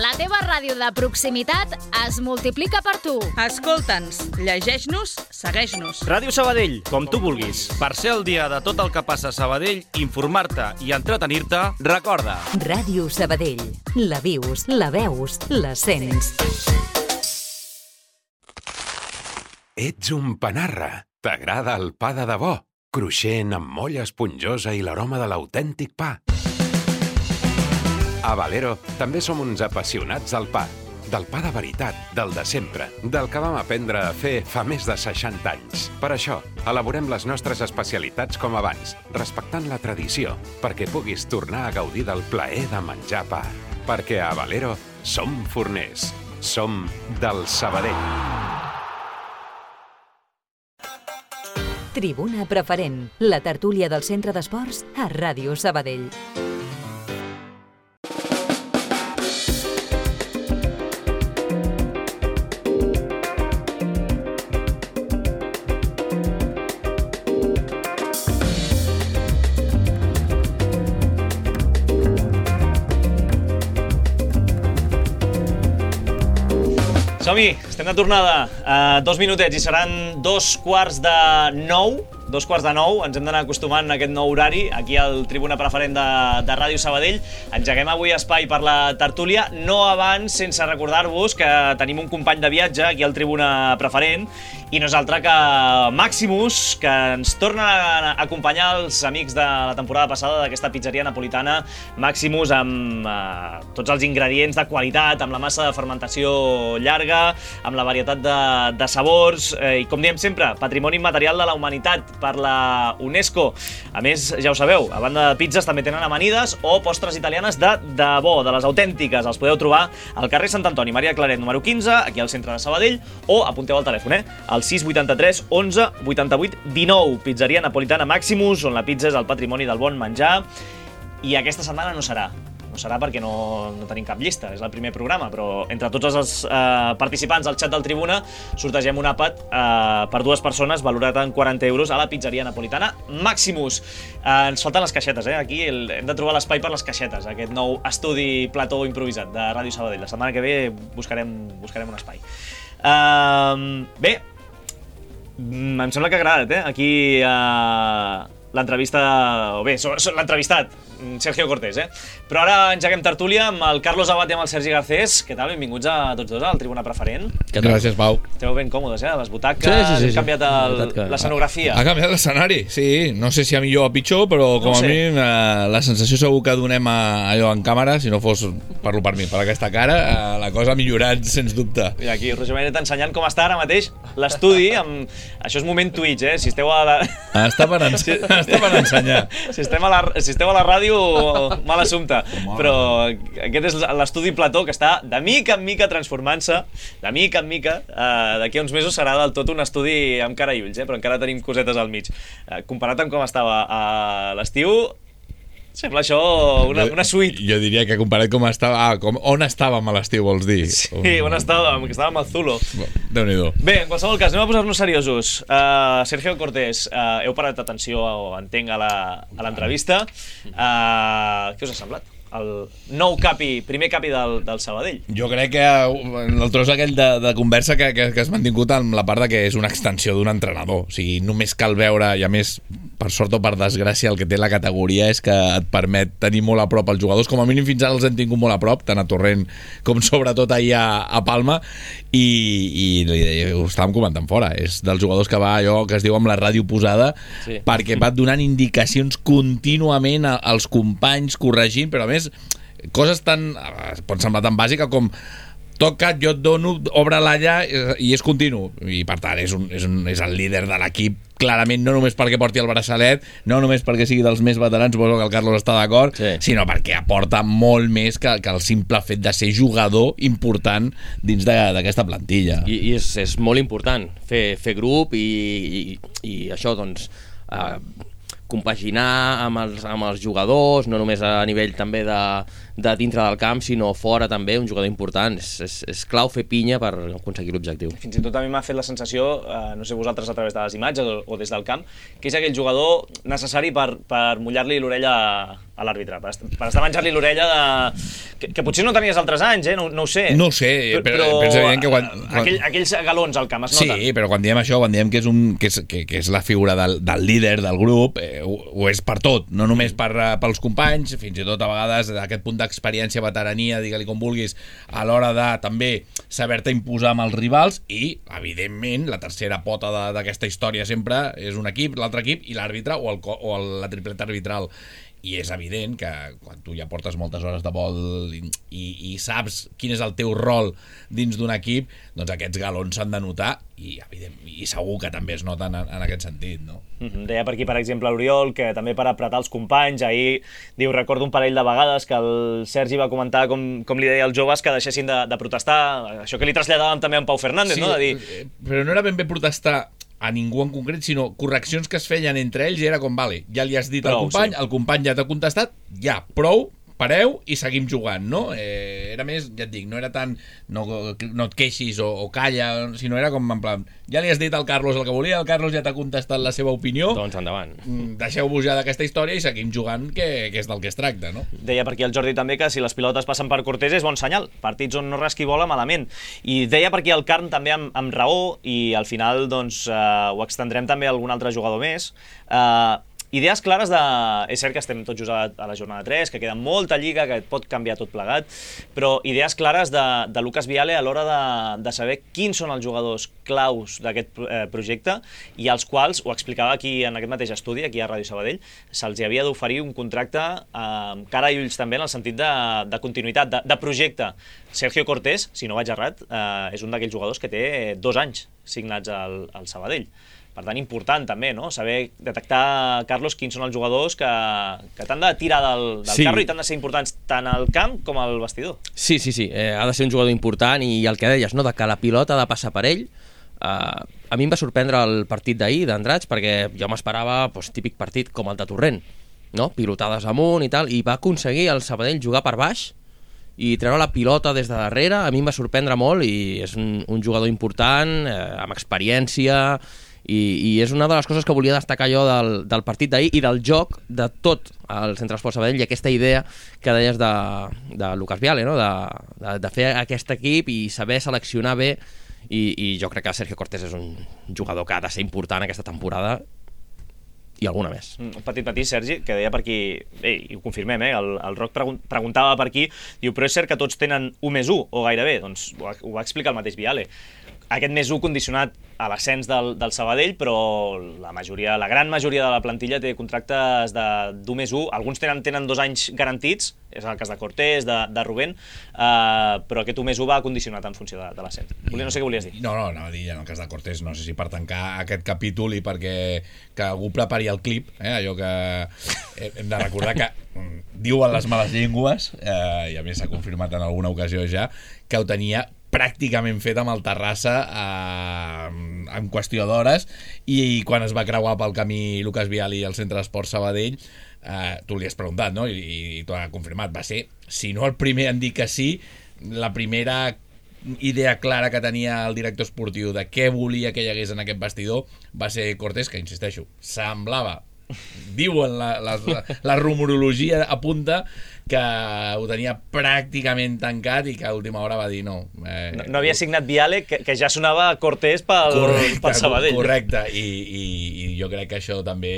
La teva ràdio de proximitat es multiplica per tu. Escolta'ns, llegeix-nos, segueix-nos. Ràdio Sabadell, com tu vulguis. Per ser al dia de tot el que passa a Sabadell, informar-te i entretenir-te, recorda. Ràdio Sabadell. La vius, la veus, la sents. Ets un panarra. T'agrada el pa de debò, cruixent amb molla esponjosa i l'aroma de l'autèntic pa. A Valero també som uns apassionats del pa, del pa de veritat, del de sempre, del que vam aprendre a fer fa més de seixanta anys. Per això, elaborem les nostres especialitats com abans, respectant la tradició, perquè puguis tornar a gaudir del plaer de menjar pa. Perquè a Valero som forners, som del Sabadell. Tribuna Preferent, la tertúlia del Centre d'Esports a Ràdio Sabadell. Som-hi, estem de tornada. Uh, dos minutets i seran dos quarts de nou. Dos quarts de nou, ens hem d'anar acostumant a aquest nou horari, aquí al Tribuna Preferent de, de Ràdio Sabadell. Engeguem avui espai per la tertúlia, no abans sense recordar-vos que tenim un company de viatge aquí al Tribuna Preferent, i no és altre que Maximus, que ens torna a acompanyar els amics de la temporada passada d'aquesta pizzeria napolitana Maximus, amb eh, tots els ingredients de qualitat, amb la massa de fermentació llarga, amb la varietat de, de sabors, eh, i com diem sempre, patrimoni immaterial de la humanitat per la UNESCO. A més, ja ho sabeu, a banda de pizzas també tenen amanides o postres italianes de debò, de les autèntiques. Els podeu trobar al carrer Sant Antoni, Maria Claret, número quinze, aquí al centre de Sabadell, o apunteu al telèfon, eh? Al sis vuitanta-tres onze vuitanta-vuit dinou. Pizzeria napolitana Maximus, on la pizza és el patrimoni del bon menjar. I aquesta setmana no serà. No serà perquè no, no tenim cap llista, és el primer programa, però entre tots els eh, participants al xat del Tribuna sortegem un àpat eh, per dues persones valorat en quaranta euros a la pizzeria napolitana Maximus. Eh, ens falten les caixetes, eh? Aquí el, hem de trobar l'espai per les caixetes, aquest nou estudi plató improvisat de Ràdio Sabadell. La setmana que ve buscarem, buscarem un espai. Eh, bé, em sembla que ha agradat, eh? Aquí eh, l'entrevista, o bé, l'entrevistat, Sergio Cortés, eh? Però ara engeguem tertúlia amb el Carlos Abad i amb el Sergi Garcés. Què tal? Benvinguts a tots dos al Tribuna Preferent. Gràcies, Pau. Esteu ben còmodes, eh? Les butaques, sí, sí, sí, hem canviat l'escenografia. Ha canviat l'escenari, sí. No sé si a millor o a pitjor, però com no a mi eh, la sensació segur que donem a, allò en càmera, si no fos, parlo per mi, per aquesta cara, eh, la cosa ha millorat, sens dubte. I aquí Roger Benet ensenyant com està ara mateix l'estudi. Amb... Això és moment Twitch, eh? Si esteu a la... Està per, en... sí. està per ensenyar. Si estem a la, si estem a la ràdio, mal assumpte. Però aquest és l'estudi Plató, que està de mica en mica transformant-se, de mica en mica. Eh, D'aquí a uns mesos serà del tot un estudi amb cara i ulls, eh? Però encara tenim cosetes al mig. Eh, comparat amb com estava a l'estiu, sembla això una, una suite. Jo diria que comparat com estava... Ah, com, on estàvem a l'estiu, vols dir? Sí, on estàvem, que estàvem al Zulo. Déu-n'hi-do. Bé, en qualsevol cas, anem a posar-nos seriosos. Uh, Sergio Cortés, uh, heu parat atenció, o entenc, a l'entrevista. Uh, què us ha semblat? El nou capi, primer capi del, del Sabadell. Jo crec que el tros aquell de, de conversa que, que, que has mantingut amb la part de que és una extensió d'un entrenador. O sigui, només cal veure, i a més, per sort o per desgràcia, el que té la categoria és que et permet tenir molt a prop els jugadors. Com a mínim fins ara els hem tingut molt a prop, tant a Torrent com sobretot ahir a, a Palma, i, i, i ho estàvem comentant fora. És dels jugadors que va allò que es diu amb la ràdio posada, sí, perquè va donant indicacions contínuament als companys, corregint, però a més coses tan, pot semblar tan bàsica com toca't, jo et dono, obre-la allà, i és continu, i per tant és, un, és, un, és el líder de l'equip clarament, no només perquè porti el braçalet, no només perquè sigui dels més veterans, suposo que el Carlos està d'acord, sí, sinó perquè aporta molt més que, que el simple fet de ser jugador important dins d'aquesta plantilla. I, i és, és molt important fer, fer grup i, i, i això, doncs eh, compaginar amb els, amb els jugadors, no només a nivell també de, de dintre del camp, sinó fora també, un jugador important. És, és, és clau fer pinya per aconseguir l'objectiu. Fins i tot a mi m'ha fet la sensació, eh, no sé vosaltres a través de les imatges o, o des del camp, que és aquell jugador necessari per, per mullar-li l'orella a l'àrbitre, per, per estar menjant-li l'orella de... que, que potser no tenies altres anys, eh? no, no ho sé. No ho sé, però, però, però és evident que quan, quan... Aquell, aquells galons al camp es noten. Sí, però quan diem això, quan diem que és, un, que és, que, que és la figura del, del líder del grup, eh, ho, ho és per tot, no només per, pels companys, fins i tot a vegades aquest punt d'experiència, veterania, digue-li com vulguis, a l'hora de també saber-te imposar amb els rivals, i evidentment la tercera pota d'aquesta història sempre és un equip, l'altre equip i l'àrbitre o, el, o el, la tripleta arbitral. I és evident que quan tu ja portes moltes hores de vol i, i, i saps quin és el teu rol dins d'un equip, doncs aquests galons s'han de notar, i, evident, i segur que també es noten en, en aquest sentit, no? Mm-hmm. Deia per aquí, per exemple, l'Oriol, que també per apretar els companys, ahir diu, recordo un parell de vegades que el Sergi va comentar com, com li deia als joves que deixessin de, de protestar, això que li traslladàvem també a en Pau Fernández, sí, no? De dir... Però no era ben bé protestar a ningú en concret, sinó correccions que es feien entre ells, i era com, vale, ja li has dit prou, al company, sí, el company ja t'ha contestat, ja, prou, pareu i seguim jugant, no? Eh, era més, ja et dic, no era tant no, no et queixis o, o calla, sinó era com en plan, ja li has dit al Carlos el que volia, el Carlos ja t'ha contestat la seva opinió, doncs endavant, deixeu-vos ja d'aquesta història i seguim jugant, que, que és del que es tracta, no? Deia per aquí el Jordi també que si les pilotes passen per Cortés és bon senyal, partits on no rasqui bola malament, i deia per aquí el Carn també amb, amb raó, i al final doncs eh, ho extendrem també a algun altre jugador més. eh, Idees clares de... És cert que estem tots just a, a la jornada tres, que queda molta lliga, que pot canviar tot plegat, però idees clares de, de Lucas Viale a l'hora de, de saber quins són els jugadors claus d'aquest eh, projecte, i als quals, ho explicava aquí en aquest mateix estudi, aquí a Ràdio Sabadell, se'ls havia d'oferir un contracte amb eh, cara i ulls també, en el sentit de, de continuïtat, de, de projecte. Sergio Cortés, si no vaig errat, eh, és un d'aquells jugadors que té dos anys signats al, al Sabadell. Per tant, important també, no? Saber detectar, Carlos, quins són els jugadors que, que t'han de tirar del, del sí. carro i t'han de ser importants tant al camp com al vestidor. Sí, sí, sí. Eh, ha de ser un jugador important, i el que deies, no? De que la pilota ha de passar per ell. Eh, a mi em va sorprendre el partit d'ahir d'Andratx, perquè jo m'esperava doncs, típic partit com el de Torrent, no? Pilotades amunt i tal, i va aconseguir el Sabadell jugar per baix i treure la pilota des de darrere. A mi em va sorprendre molt, i és un, un jugador important, eh, amb experiència, I, i és una de les coses que volia destacar jo del, del partit d'ahir i del joc de tot el Centre Esport Sabadell, i aquesta idea que deies de, de Lucas Viale, no? de, de, de fer aquest equip i saber seleccionar bé, i, i jo crec que Sergio Cortés és un jugador que ha de ser important aquesta temporada i alguna més. Un petit matí, Sergi, que deia per aquí, eh, i ho confirmem, eh, el, el Roc pregun preguntava per aquí, diu, però és cert que tots tenen u més u, o gairebé, doncs ho, ho va explicar el mateix Viale. aquest més u condicionat a l'ascens del, del Sabadell, però la majoria, la gran majoria de la plantilla té contractes d'u més u, alguns tenen, tenen dos anys garantits, és el cas de Cortés, de, de Rubén, uh, però aquest u més u va condicionat en funció de, de l'ascens. No sé què volies dir. No, no, no, dir, en el cas de Cortés, no sé si per tancar aquest capítol i perquè que algú prepari el clip, eh, allò que hem de recordar que diuen les males llengües, eh, i a més s'ha confirmat en alguna ocasió ja, que ho tenia pràcticament fet amb el Terrassa eh, en qüestió d'hores, i quan es va creuar pel camí Lucas Viali al Centre d'Esport Sabadell, eh, tu li has preguntat, no? I, i t'ho ha confirmat, va ser, si no el primer en dir que sí, la primera idea clara que tenia el director esportiu de què volia que hi hagués en aquest vestidor va ser Cortés, que insisteixo, semblava, diuen la, la, la rumorologia apunta que ho tenia pràcticament tancat i que a última hora va dir no. Eh, no, no havia signat Viale, que, que ja sonava Cortés pel, correcte, pel Sabadell. Correcte, I, i, i jo crec que això també,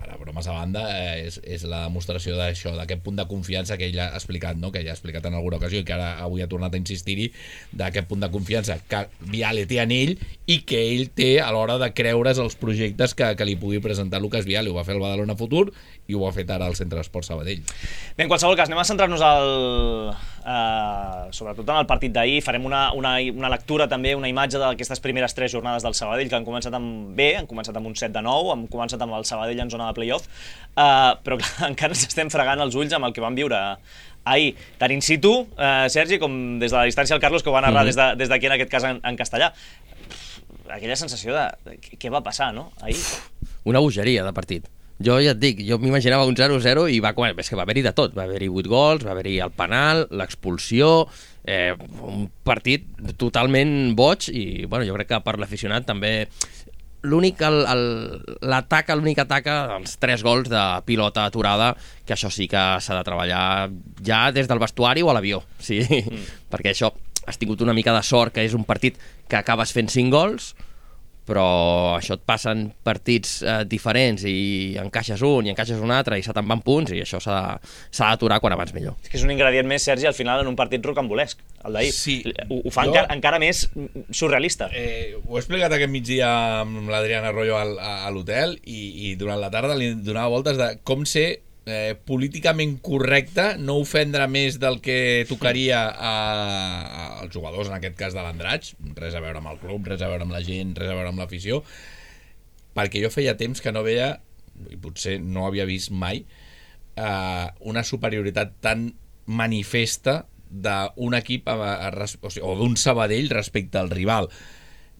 ara bromes a banda, eh, és, és la demostració d'això, d'aquest punt de confiança que ell ha explicat, no? Que ja ha explicat en alguna ocasió i que ara avui ha tornat a insistir-hi, d'aquest punt de confiança que Viale té en ell i que ell té a l'hora de creure's els projectes que, que li pugui presentar Lucas Viale. Ho va fer el Badalona Futur i ho ha fet ara al Centre d'Esport Sabadell. Bé, en qualsevol cas, anem a centrar-nos al, eh, sobretot en el partit d'ahir. Farem una, una, una lectura també, una imatge d'aquestes primeres tres jornades del Sabadell, que han començat amb bé, han començat amb un set de nou, han començat amb el Sabadell en zona de play-off, eh, però clar, encara ens estem fregant els ulls amb el que vam viure ahir, tant in situ, eh, Sergi, com des de la distància el Carlos, que ho va narrar mm-hmm. des de, des d'aquí, en aquest cas en, en castellà. Aquella sensació de, de què va passar, no? Ahir. Una bogeria de partit. Jo ja et dic, jo m'imaginava un zero zero i va, és que va haver-hi de tot, va haver-hi vuit gols, va haver-hi el penal, l'expulsió, eh, un partit totalment boig i bueno, jo crec que per l'aficionat també l'únic, l'atac, l'únic atac, els tres gols de pilota aturada, que això sí que s'ha de treballar ja des del vestuari o a l'avió, sí, mm. perquè això has tingut una mica de sort, que és un partit que acabes fent cinc gols, però això et passen partits eh, diferents i encaixes un i encaixes un altre i se te'n van punts i això s'ha d'aturar quan abans millor. És que és un ingredient més, Sergi, al final en un partit rocambolesc, el d'ahir. Sí, ho, ho fa jo, encara, encara més surrealista. Eh, ho he explicat aquest migdia amb l'Adriana Arroyo al, a l'hotel i, i durant la tarda li donava voltes de com ser Eh, políticament correcte, no ofendre més del que tocaria a, a, als jugadors, en aquest cas de l'Andratx, res a veure amb el club, res a veure amb la gent, res a veure amb l'afició, perquè jo feia temps que no veia, i potser no havia vist mai, eh, una superioritat tan manifesta d'un equip a, a, a, o, sigui, o d'un Sabadell respecte al rival.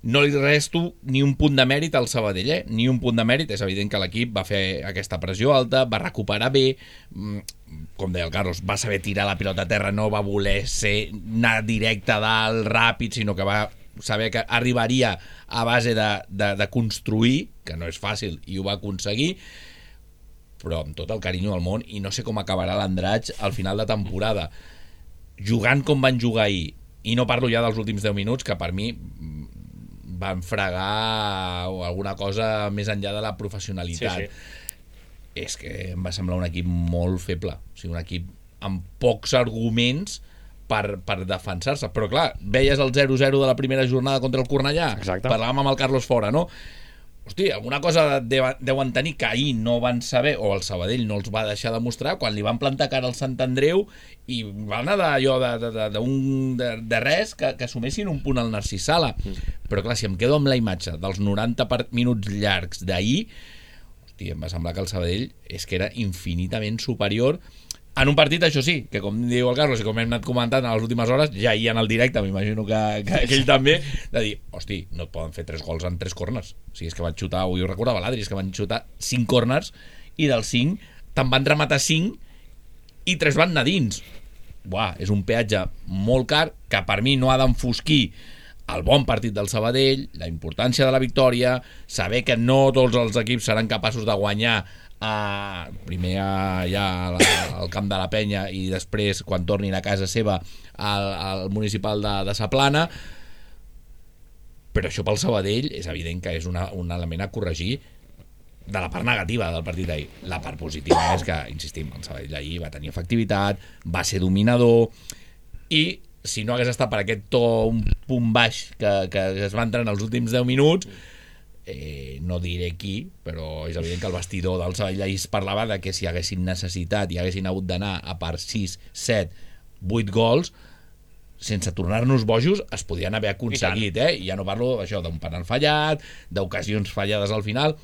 No li resto ni un punt de mèrit al Sabadell, eh? Ni un punt de mèrit. És evident que l'equip va fer aquesta pressió alta, va recuperar bé, com deia el Carlos, va saber tirar la pilota a terra, no va voler ser anar directe a dalt, ràpid, sinó que va saber que arribaria a base de, de, de construir, que no és fàcil, i ho va aconseguir, però amb tot el carinyo del món, i no sé com acabarà l'Andratx al final de temporada. Jugant com van jugar ahir, i no parlo ja dels últims deu minuts, que per mi van fregar alguna cosa més enllà de la professionalitat. Sí, sí. És que em va semblar un equip molt feble, o sigui, un equip amb pocs arguments per, per defensar-se, però clar, veies el zero zero de la primera jornada contra el Cornellà. Exacte. Parlàvem amb el Carlos Fora, no? Hosti, alguna cosa deuen tenir que ahir no van saber, o el Sabadell no els va deixar demostrar, quan li van plantar cara al Sant Andreu i van anar d'allò de, de, de, de, de, de res que, que assumessin un punt al Narcís Sala. Mm. Però clar, si em quedo amb la imatge dels noranta minuts llargs d'ahir, hosti, em va semblar que el Sabadell és que era infinitament superior en un partit, això sí, que com diu el Carlos i com hem anat comentant a les últimes hores, ja hi en el directe, m'imagino que, que, que ell també, de dir, hosti, no et poden fer tres gols en tres corners. O sigui, és que van xutar, avui ho recordava l'Adri, és que van xutar cinc corners i dels cinc te'n van rematar cinc i tres van anar dins. Buah, és un peatge molt car que per mi no ha d'enfosquir el bon partit del Sabadell, la importància de la victòria, saber que no tots els equips seran capaços de guanyar a, primer a, ja al, al camp de la Penya i després quan tornin a casa seva al, al municipal de, de Sa Plana, però això pel Sabadell és evident que és una, un element a corregir de la part negativa del partit d'ahir. La part positiva és que, insistim, el Sabadell ahir va tenir efectivitat, va ser dominador i si no hagués estat per aquest to un punt baix que, que es va entrar en els últims deu minuts, eh, no diré qui, però és evident que el vestidor del Sabadell ahir es parlava de que si haguessin necessitat i haguessin hagut d'anar a per sis, set, vuit gols, sense tornar-nos bojos, es podien haver aconseguit, eh? I ja no parlo això d'un penal fallat, d'ocasions fallades al final.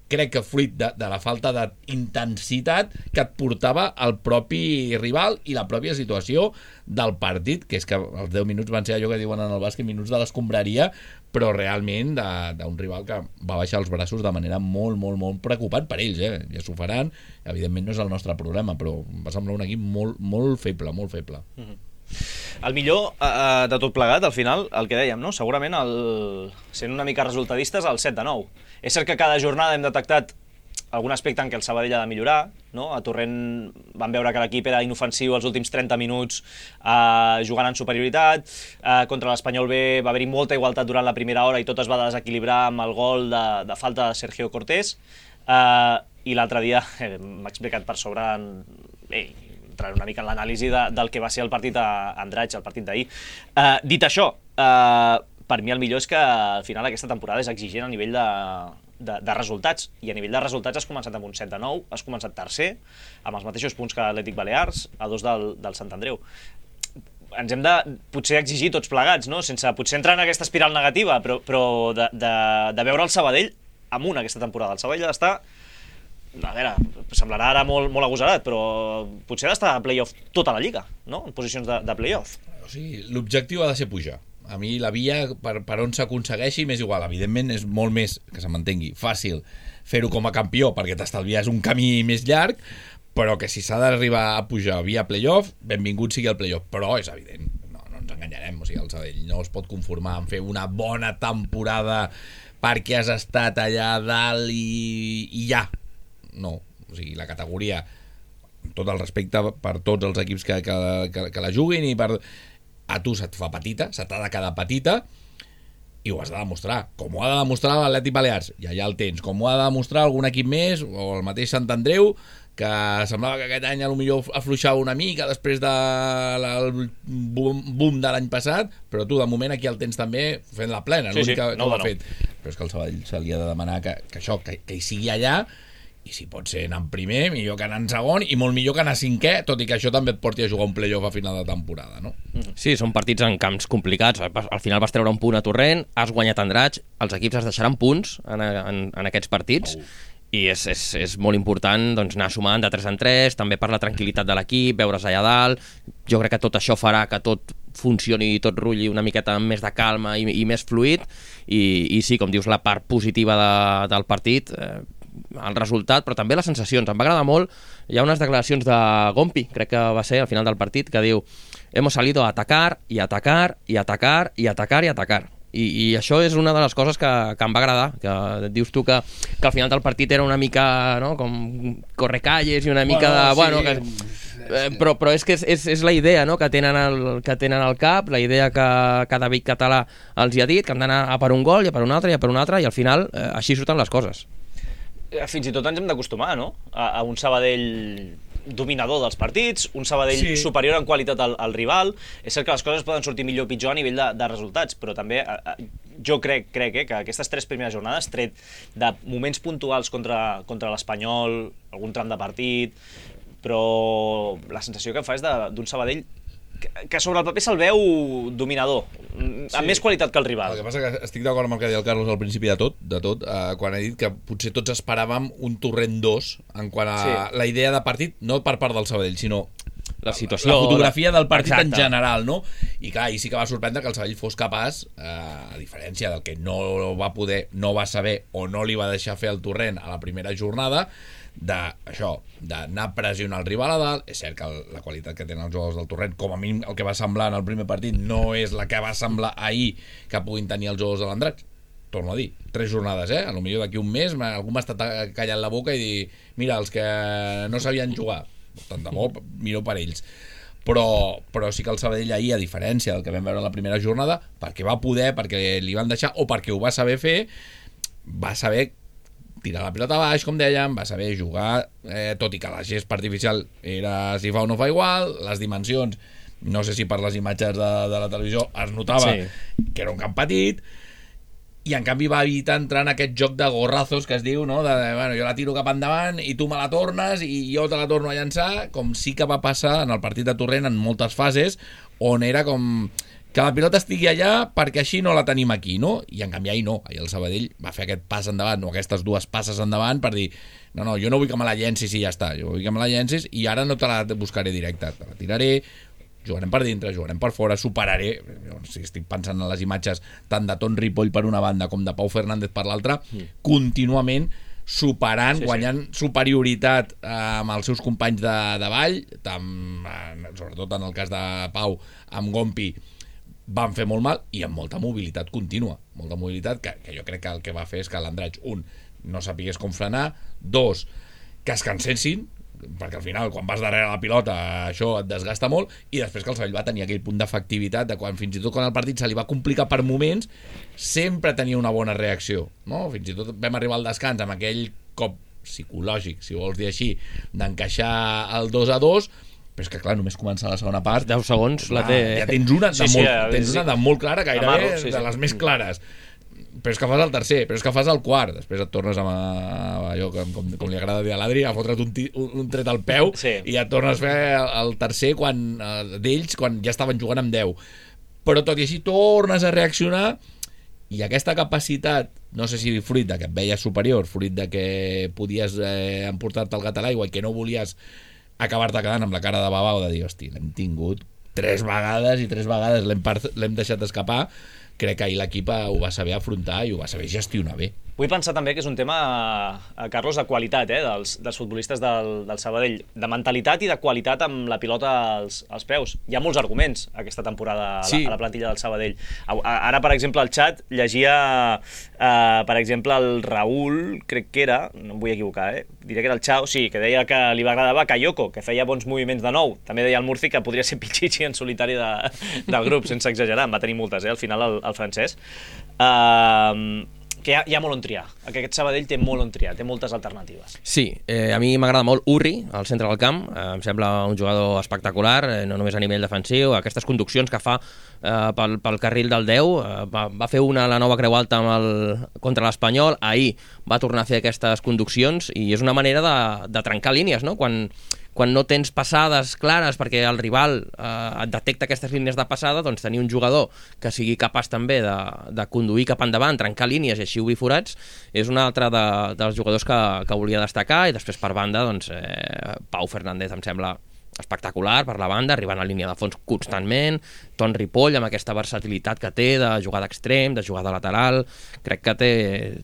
Crec que fruit de, de la falta d'intensitat que et portava el propi rival i la pròpia situació del partit, que és que els deu minuts van ser allò que diuen en el bàsquet, minuts de l'escombraria, però realment d'un rival que va baixar els braços de manera molt, molt, molt preocupant per ells, eh? Ja s'ho faran, evidentment no és el nostre problema, però va semblar un equip molt, molt feble, molt feble. Mm-hmm. El millor eh, de tot plegat, al final, el que dèiem, no? Segurament, el, sent una mica resultadistes, el set de nou. És cert que cada jornada hem detectat algun aspecte en què el Sabadell ha de millorar, no? A Torrent vam veure que l'equip era inofensiu els últims trenta minuts eh, jugant en superioritat, eh, contra l'Espanyol B va haver-hi molta igualtat durant la primera hora i tot es va desequilibrar amb el gol de, de falta de Sergio Cortés, eh, i l'altre dia eh, m'ha explicat per sobre en, eh, entrar una mica en l'anàlisi de, del que va ser el partit a Andratx, el partit d'ahir. Eh, dit això, eh, per mi el millor és que al final aquesta temporada és exigent a nivell de, de, de resultats, i a nivell de resultats has començat amb un set de nou, has començat tercer, amb els mateixos punts que l'Atlètic Balears, a dos del, del Sant Andreu. Ens hem de potser exigir tots plegats, no? Sense potser entrar en aquesta espiral negativa, però, però de, de, de veure el Sabadell amunt aquesta temporada. El Sabadell està, a veure, semblarà ara molt, molt agosarat, però potser ha d'estar a play-off tota la Lliga, no? En posicions de, de play-off. O sigui, l'objectiu ha de ser pujar. A mi la via per, per on s'aconsegueixi m'és igual. Evidentment és molt més, que se m'entengui, fàcil fer-ho com a campió perquè t'estalvies un camí més llarg, però que si s'ha d'arribar a pujar via play-off, benvingut sigui el play-off. Però és evident, no, no ens enganyarem, o sigui, el Sabadell no es pot conformar en fer una bona temporada perquè has estat allà dalt i, i ja. No, o sigui, la categoria, amb tot el respecte per tots els equips que, que, que, que la juguin, i per a tu se't fa petita, se t'ha de quedar petita, i ho has de demostrar, com ho ha de demostrar l'Atlètic Balears, i allà el tens, com ho ha de demostrar algun equip més, o el mateix Sant Andreu, que semblava que aquest any a lo millor afluixava una mica després del de boom, boom de l'any passat, però tu de moment aquí el tens també fent la plena, sí, l'únic sí, que, no, que ho ha no. fet. Però és que el Sabadell se li ha de demanar que, que això, que, que hi sigui allà, i si pot ser anar en primer, millor que anar en segon, i molt millor que anar cinquè, tot i que això també et porti a jugar un play-off a final de temporada, no? Sí, són partits en camps complicats. Al final vas treure un punt a Torrent, has guanyat Andratx, els equips es deixaran punts en, en, en aquests partits, oh. i és, és, és molt important doncs, anar sumant de tres en tres, també per la tranquil·litat de l'equip, veure's allà dalt. Jo crec que tot això farà que tot funcioni i tot rulli una miqueta amb més de calma i, i més fluid, i, i sí, com dius, la part positiva de, del partit, eh, el resultat, però també les sensacions. Em va agradar molt, hi ha unes declaracions de Gompi, crec que va ser al final del partit, que diu: hemos salido a atacar i atacar i atacar i atacar i atacar. I, i això és una de les coses que, que em va agradar, que dius tu que, que al final del partit era una mica, no?, com correcalles i una mica de... Bueno, bueno, sí. que, eh, però, però és que és, és, és la idea, no?, que tenen, el, que tenen al cap, la idea que, que David Català els hi ha dit, que han d'anar a per un gol i a per un altre i a per un altre, i al final eh, així surten les coses. Fins i tot ens hem d'acostumar, no?, a, a un Sabadell dominador dels partits, un Sabadell sí. superior en qualitat al, al rival. És cert que les coses poden sortir millor o pitjor a nivell de, de resultats, però també a, a, jo crec, crec eh, que aquestes tres primeres jornades, tret de moments puntuals contra, contra l'Espanyol, algun tram de partit, però la sensació que em fa és d'un Sabadell que, que sobre el paper se'l veu dominador, amb sí. més qualitat que el rival. El que passa que estic d'acord amb el que deia el Carlos al principi de tot, de tot eh, quan ha dit que potser tots esperàvem un Torrent dos en quant a sí. la idea de partit, no per part del Sabadell, sinó la situació, la fotografia del partit exacte. En general, no? I clar, i sí que va sorprendre que el Sabadell fos capaç, eh, a diferència del que no va poder, no va saber o no li va deixar fer el Torrent a la primera jornada, de això, d'anar a pressionar el rival a dalt. És cert que el, la qualitat que tenen els jugadors del Torrent, com a mínim el que va semblar en el primer partit, no és la que va semblar ahir que puguin tenir els jugadors de l'Andratx. Torno a dir, tres jornades, eh? A lo millor d'aquí un mes algú m'ha estat callant la boca i dir, mira, els que no sabien jugar, tant de bo, miro per ells. Però, però sí que el Sabadell ahir, a diferència del que vam veure en la primera jornada, perquè va poder, perquè li van deixar, o perquè ho va saber fer, va saber tirar la pilota baix, com dèiem, va saber jugar, eh, tot i que la gest artificial era si fa o no fa igual, les dimensions no sé si per les imatges de, de la televisió es notava sí. que era un camp petit, i en canvi va evitar entrar en aquest joc de gorrazos que es diu, no? De, bueno, jo la tiro cap endavant i tu me la tornes i jo te la torno a llançar, com sí que va passar en el partit de Torrent en moltes fases, on era com que la pilota estigui allà perquè així no la tenim aquí, no? I en canvi ahir no, ahir el Sabadell va fer aquest pas endavant, o aquestes dues passes endavant per dir, no, no, jo no vull que me la llencis i ja està, jo vull que me la llencis i ara no te la buscaré directa, te la tiraré, jugarem per dintre, jugarem per fora, superaré, si estic pensant en les imatges tant de Ton Ripoll per una banda com de Pau Fernández per l'altra, mm. contínuament superant, sí, guanyant sí. superioritat eh, amb els seus companys de, de ball, tam, eh, sobretot en el cas de Pau, amb Gompi, van fer molt mal i amb molta mobilitat contínua, molta mobilitat que, que jo crec que el que va fer és que l'Andratx, un, no sapigués com frenar, dos, que es cansessin, perquè al final quan vas darrere la pilota això et desgasta molt, i després que el Sabadell va tenir aquell punt d'efectivitat de quan fins i tot quan el partit se li va complicar per moments sempre tenia una bona reacció, no? Fins i tot vam arribar al descans amb aquell cop psicològic, si vols dir així, d'encaixar el dos a dos, però és que clar, només començar la segona part deu segons clar, la té... ja tens una de, sí, sí, molt, ja, tens sí. una de molt clara, gairebé Amarro, sí, sí. de les més clares, però és que fas el tercer, però és que fas el quart, després et tornes amb, a, allò com, com, com li agrada dir a l'Adri, a fotre't un, un, un tret al peu sí. i et tornes a fer el, el tercer quan eh, d'ells quan ja estaven jugant amb deu, però tot i així tornes a reaccionar, i aquesta capacitat, no sé si fruit de que et veies superior, fruit de que podies eh, emportar-te el gat a l'aigua i que no volies acabar-te quedant amb la cara de babau de dir, hosti, l'hem tingut tres vegades i tres vegades l'hem, l'hem deixat escapar, crec que ahir l'equip ho va saber afrontar i ho va saber gestionar bé. Vull pensar també que és un tema, Carlos, de qualitat, eh, dels, dels futbolistes del, del Sabadell, de mentalitat i de qualitat amb la pilota als, als peus. Hi ha molts arguments aquesta temporada a, sí. la, a la plantilla del Sabadell. Ara, per exemple, al xat llegia, eh, per exemple, el Raül, crec que era, no em vull equivocar, eh, diré que era el Xau, sí, que deia que li va agradar Bakayoko, que feia bons moviments de nou. També deia el Murci que podria ser Pichichi en solitari de, del grup, sense exagerar. En va tenir moltes, eh, al final, el, el francès. Uh, que hi ha, hi ha molt on triar. Aquest Sabadell té molt on triar, té moltes alternatives. Sí, eh, a mi m'agrada molt Urri, al centre del camp, eh, em sembla un jugador espectacular, eh, no només a nivell defensiu, aquestes conduccions que fa eh, pel, pel carril del deu, eh, va, va fer una a la nova Creu Alta amb el, contra l'Espanyol, ahir va tornar a fer aquestes conduccions i és una manera de, de trencar línies, no? Quan, quan no tens passades clares perquè el rival eh, et detecta aquestes línies de passada, doncs tenir un jugador que sigui capaç també de, de conduir cap endavant, trencar línies i així obrir forats, és un altre de, dels jugadors que, que volia destacar. I després per banda, doncs, eh, Pau Fernández em sembla espectacular per la banda, arribant a línia de fons constantment, Ton Ripoll amb aquesta versatilitat que té de jugar d'extrem, de jugar de lateral, crec que té,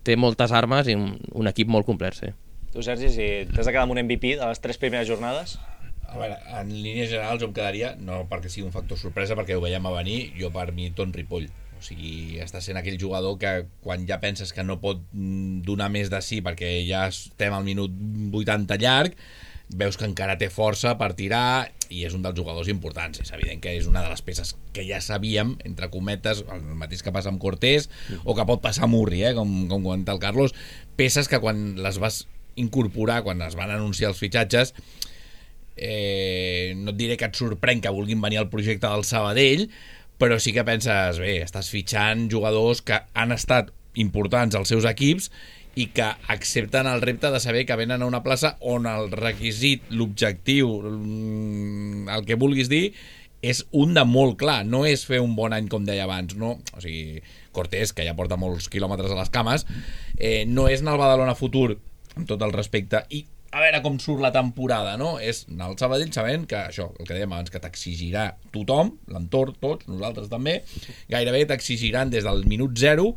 té moltes armes i un, un equip molt complet, sí. Tu, Sergi, si t'has de quedar amb un M V P de les tres primeres jornades? A veure, en línies generals jo em quedaria, no perquè sigui un factor sorpresa, perquè ho veiem a venir, jo per mi Ton Ripoll. O sigui, està sent aquell jugador que quan ja penses que no pot donar més de sí perquè ja estem al minut vuitanta llarg, veus que encara té força per tirar i és un dels jugadors importants. És evident que és una de les peces que ja sabíem, entre cometes, el mateix que passa amb Cortés o que pot passar amb Urri, eh, com, com comenta el Carlos, peces que quan les vas incorporar, quan es van anunciar els fitxatges, eh, no et diré que et sorprèn que vulguin venir al projecte del Sabadell, però sí que penses, bé, estàs fitxant jugadors que han estat importants als seus equips i que accepten el repte de saber que venen a una plaça on el requisit, l'objectiu, el que vulguis dir, és un de molt clar, no és fer un bon any com deia abans, no? O sigui, Cortés, que ja porta molts quilòmetres a les cames, eh, no és anar al Badalona Futur amb tot el respecte, i a veure com surt la temporada, no? És anar al Sabadell sabent que això, el que dèiem abans, que t'exigirà tothom, l'entorn, tots, nosaltres també, gairebé t'exigiran des del minut zero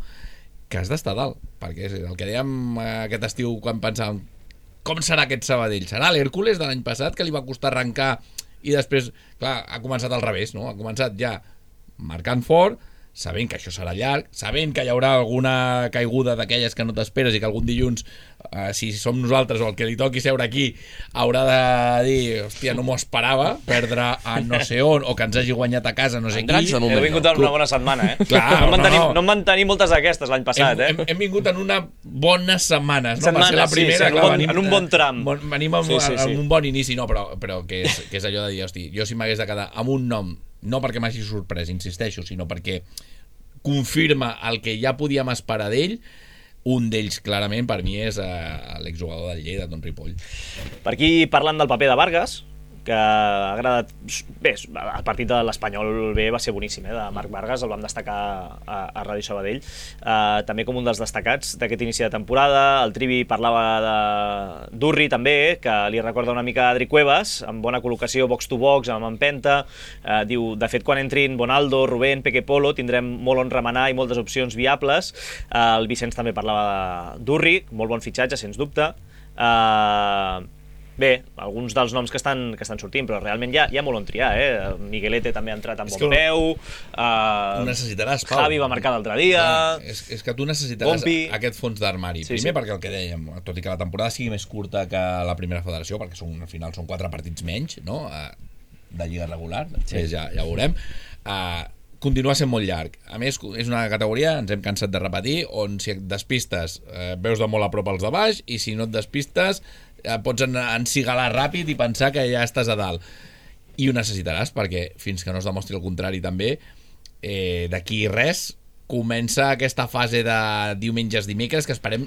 que has d'estar dalt, perquè és el que dèiem aquest estiu quan pensàvem com serà aquest Sabadell? Serà l'Hèrcules de l'any passat que li va costar arrencar i després, clar, ha començat al revés, no? Ha començat ja marcant fort, sabent que això serà llarg, sabent que hi haurà alguna caiguda d'aquelles que no t'esperes i que algun dilluns, eh, si som nosaltres o el que li toqui seure aquí, haurà de dir, hòstia, no m'ho esperava, perdre a no sé on, o que ens hagi guanyat a casa no sé qui. He vingut en una bona setmana, eh? Clar, no, en van tenir, no. no en van tenir moltes d'aquestes l'any passat, hem, eh? Hem, hem vingut en una bones setmanes, no? Setmanes, va ser la primera, sí, sí, clar, bon, venim, en un bon tram. Bon, venim amb, sí, sí, sí. amb un bon inici, no, però, però que, és, que és allò de dir, hosti, jo si m'hagués de quedar amb un nom no perquè m'hagi sorprès, insisteixo, sinó perquè confirma el que ja podíem esperar d'ell. Un d'ells, clarament, per mi és uh, l'exjugador del Lleida, Ton Ripoll. Per aquí parlant del paper de Vargas, que ha agradat... Bé, el partit de l'Espanyol B va ser boníssim, eh, de Marc Vargas, el vam destacar a, a Ràdio Sabadell, eh, també com un dels destacats d'aquest inici de temporada. El Trivi parlava de Durri també, que li recorda una mica a Adri Cuevas, amb bona col·locació box to box, amb empenta. Eh, diu, de fet, quan entrin Bonaldo, Rubén, Peque Polo, tindrem molt on remenar i moltes opcions viables. Eh, el Vicenç també parlava de Durri, molt bon fitxatge, sens dubte. Eh... Bé, alguns dels noms que estan, que estan sortint, però realment hi ha, hi ha molt on triar, eh? Miguelete també ha entrat amb bon peu, uh, necessitaràs, Pau. Javi va marcar l'altre dia... Ah, és, és que tu necessitaràs Pompi. Aquest fons d'armari. Sí, Primer sí. perquè el que dèiem, tot i que la temporada sigui més curta que la primera federació, perquè són, al final són quatre partits menys, no?, uh, de lliga regular, després sí. ja, ja ho veurem, uh, continua sent molt llarg. A més, és una categoria, ens hem cansat de repetir, on si et despistes eh, veus de molt a prop els de baix, i si no et despistes eh, pots encigalar ràpid i pensar que ja estàs a dalt. I ho necessitaràs, perquè fins que no es demostri el contrari també, eh, d'aquí res comença aquesta fase de diumenges, dimecres, que esperem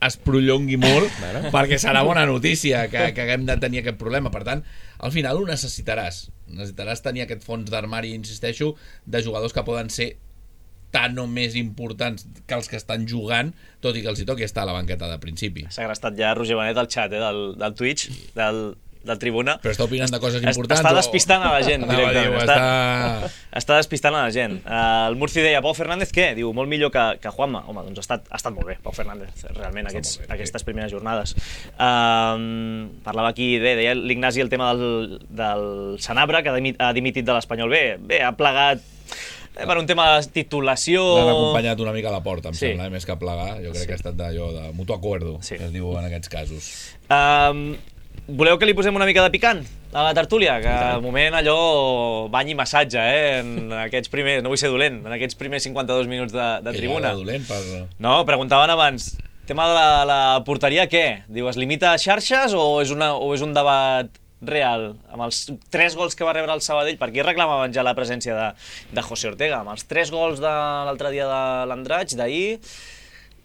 es prolongui molt, bueno. perquè serà bona notícia que, que haguem de tenir aquest problema. Per tant, al final ho necessitaràs. Necessitaràs tenir aquest fons d'armari, insisteixo, de jugadors que poden ser tan o més importants que els que estan jugant, tot i que els hi toqui estar a la banqueta de principi. S'ha agrestat ja Roger Benet al xat eh, del, del Twitch, del, del Tribuna. Però està opinant de coses importants? Està despistant a la gent, o... directament. Diu, està... està... està despistant a la gent. Uh, el Murci deia, Pau Fernández què? Diu, molt millor que, que Juanma. Home, doncs ha estat, ha estat molt bé, Pau Fernández, realment, aquests, bé, aquestes primeres jornades. Uh, parlava aquí, bé, deia l'Ignasi el tema del, del Sanabra, que ha dimitit de l'Espanyol B. Bé, ha plegat per un tema de titulació... L'han acompanyat una mica a la porta, em sí. sembla, eh? Més que plegar. Jo crec sí. que ha estat d'allò de mutuo acuerdo, sí. que es diu en aquests casos. Um, voleu que li posem una mica de picant a la tertúlia? Que al moment allò bany i massatge, eh? En aquests primers, no vull ser dolent, en aquests primers cinquanta-dos minuts de, de tribuna. Que dolent per... No, preguntaven abans, tema de la, la porteria, què? Diu, es limita a xarxes o és, una, o és un debat real, amb els tres gols que va rebre el Sabadell? Per aquí reclamaven ja la presència de, de José Ortega, amb els tres gols de l'altre dia de l'Andratx, d'ahir.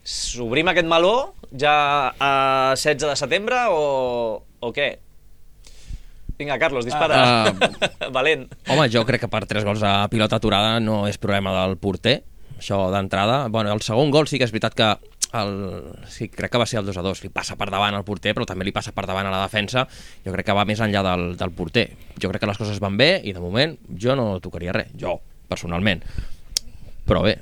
S'obrim aquest meló ja a setze de setembre o, o què? Vinga, Carlos, dispara. Uh, Valent. Home, jo crec que per tres gols a pilota aturada no és problema del porter, això d'entrada. Bueno, el segon gol sí que és veritat que el, sí, crec que va ser el dos a dos, li passa per davant al porter, però també li passa per davant a la defensa. Jo crec que va més enllà del, del porter. Jo crec que les coses van bé i de moment jo no tocaria res, jo, personalment. Però bé,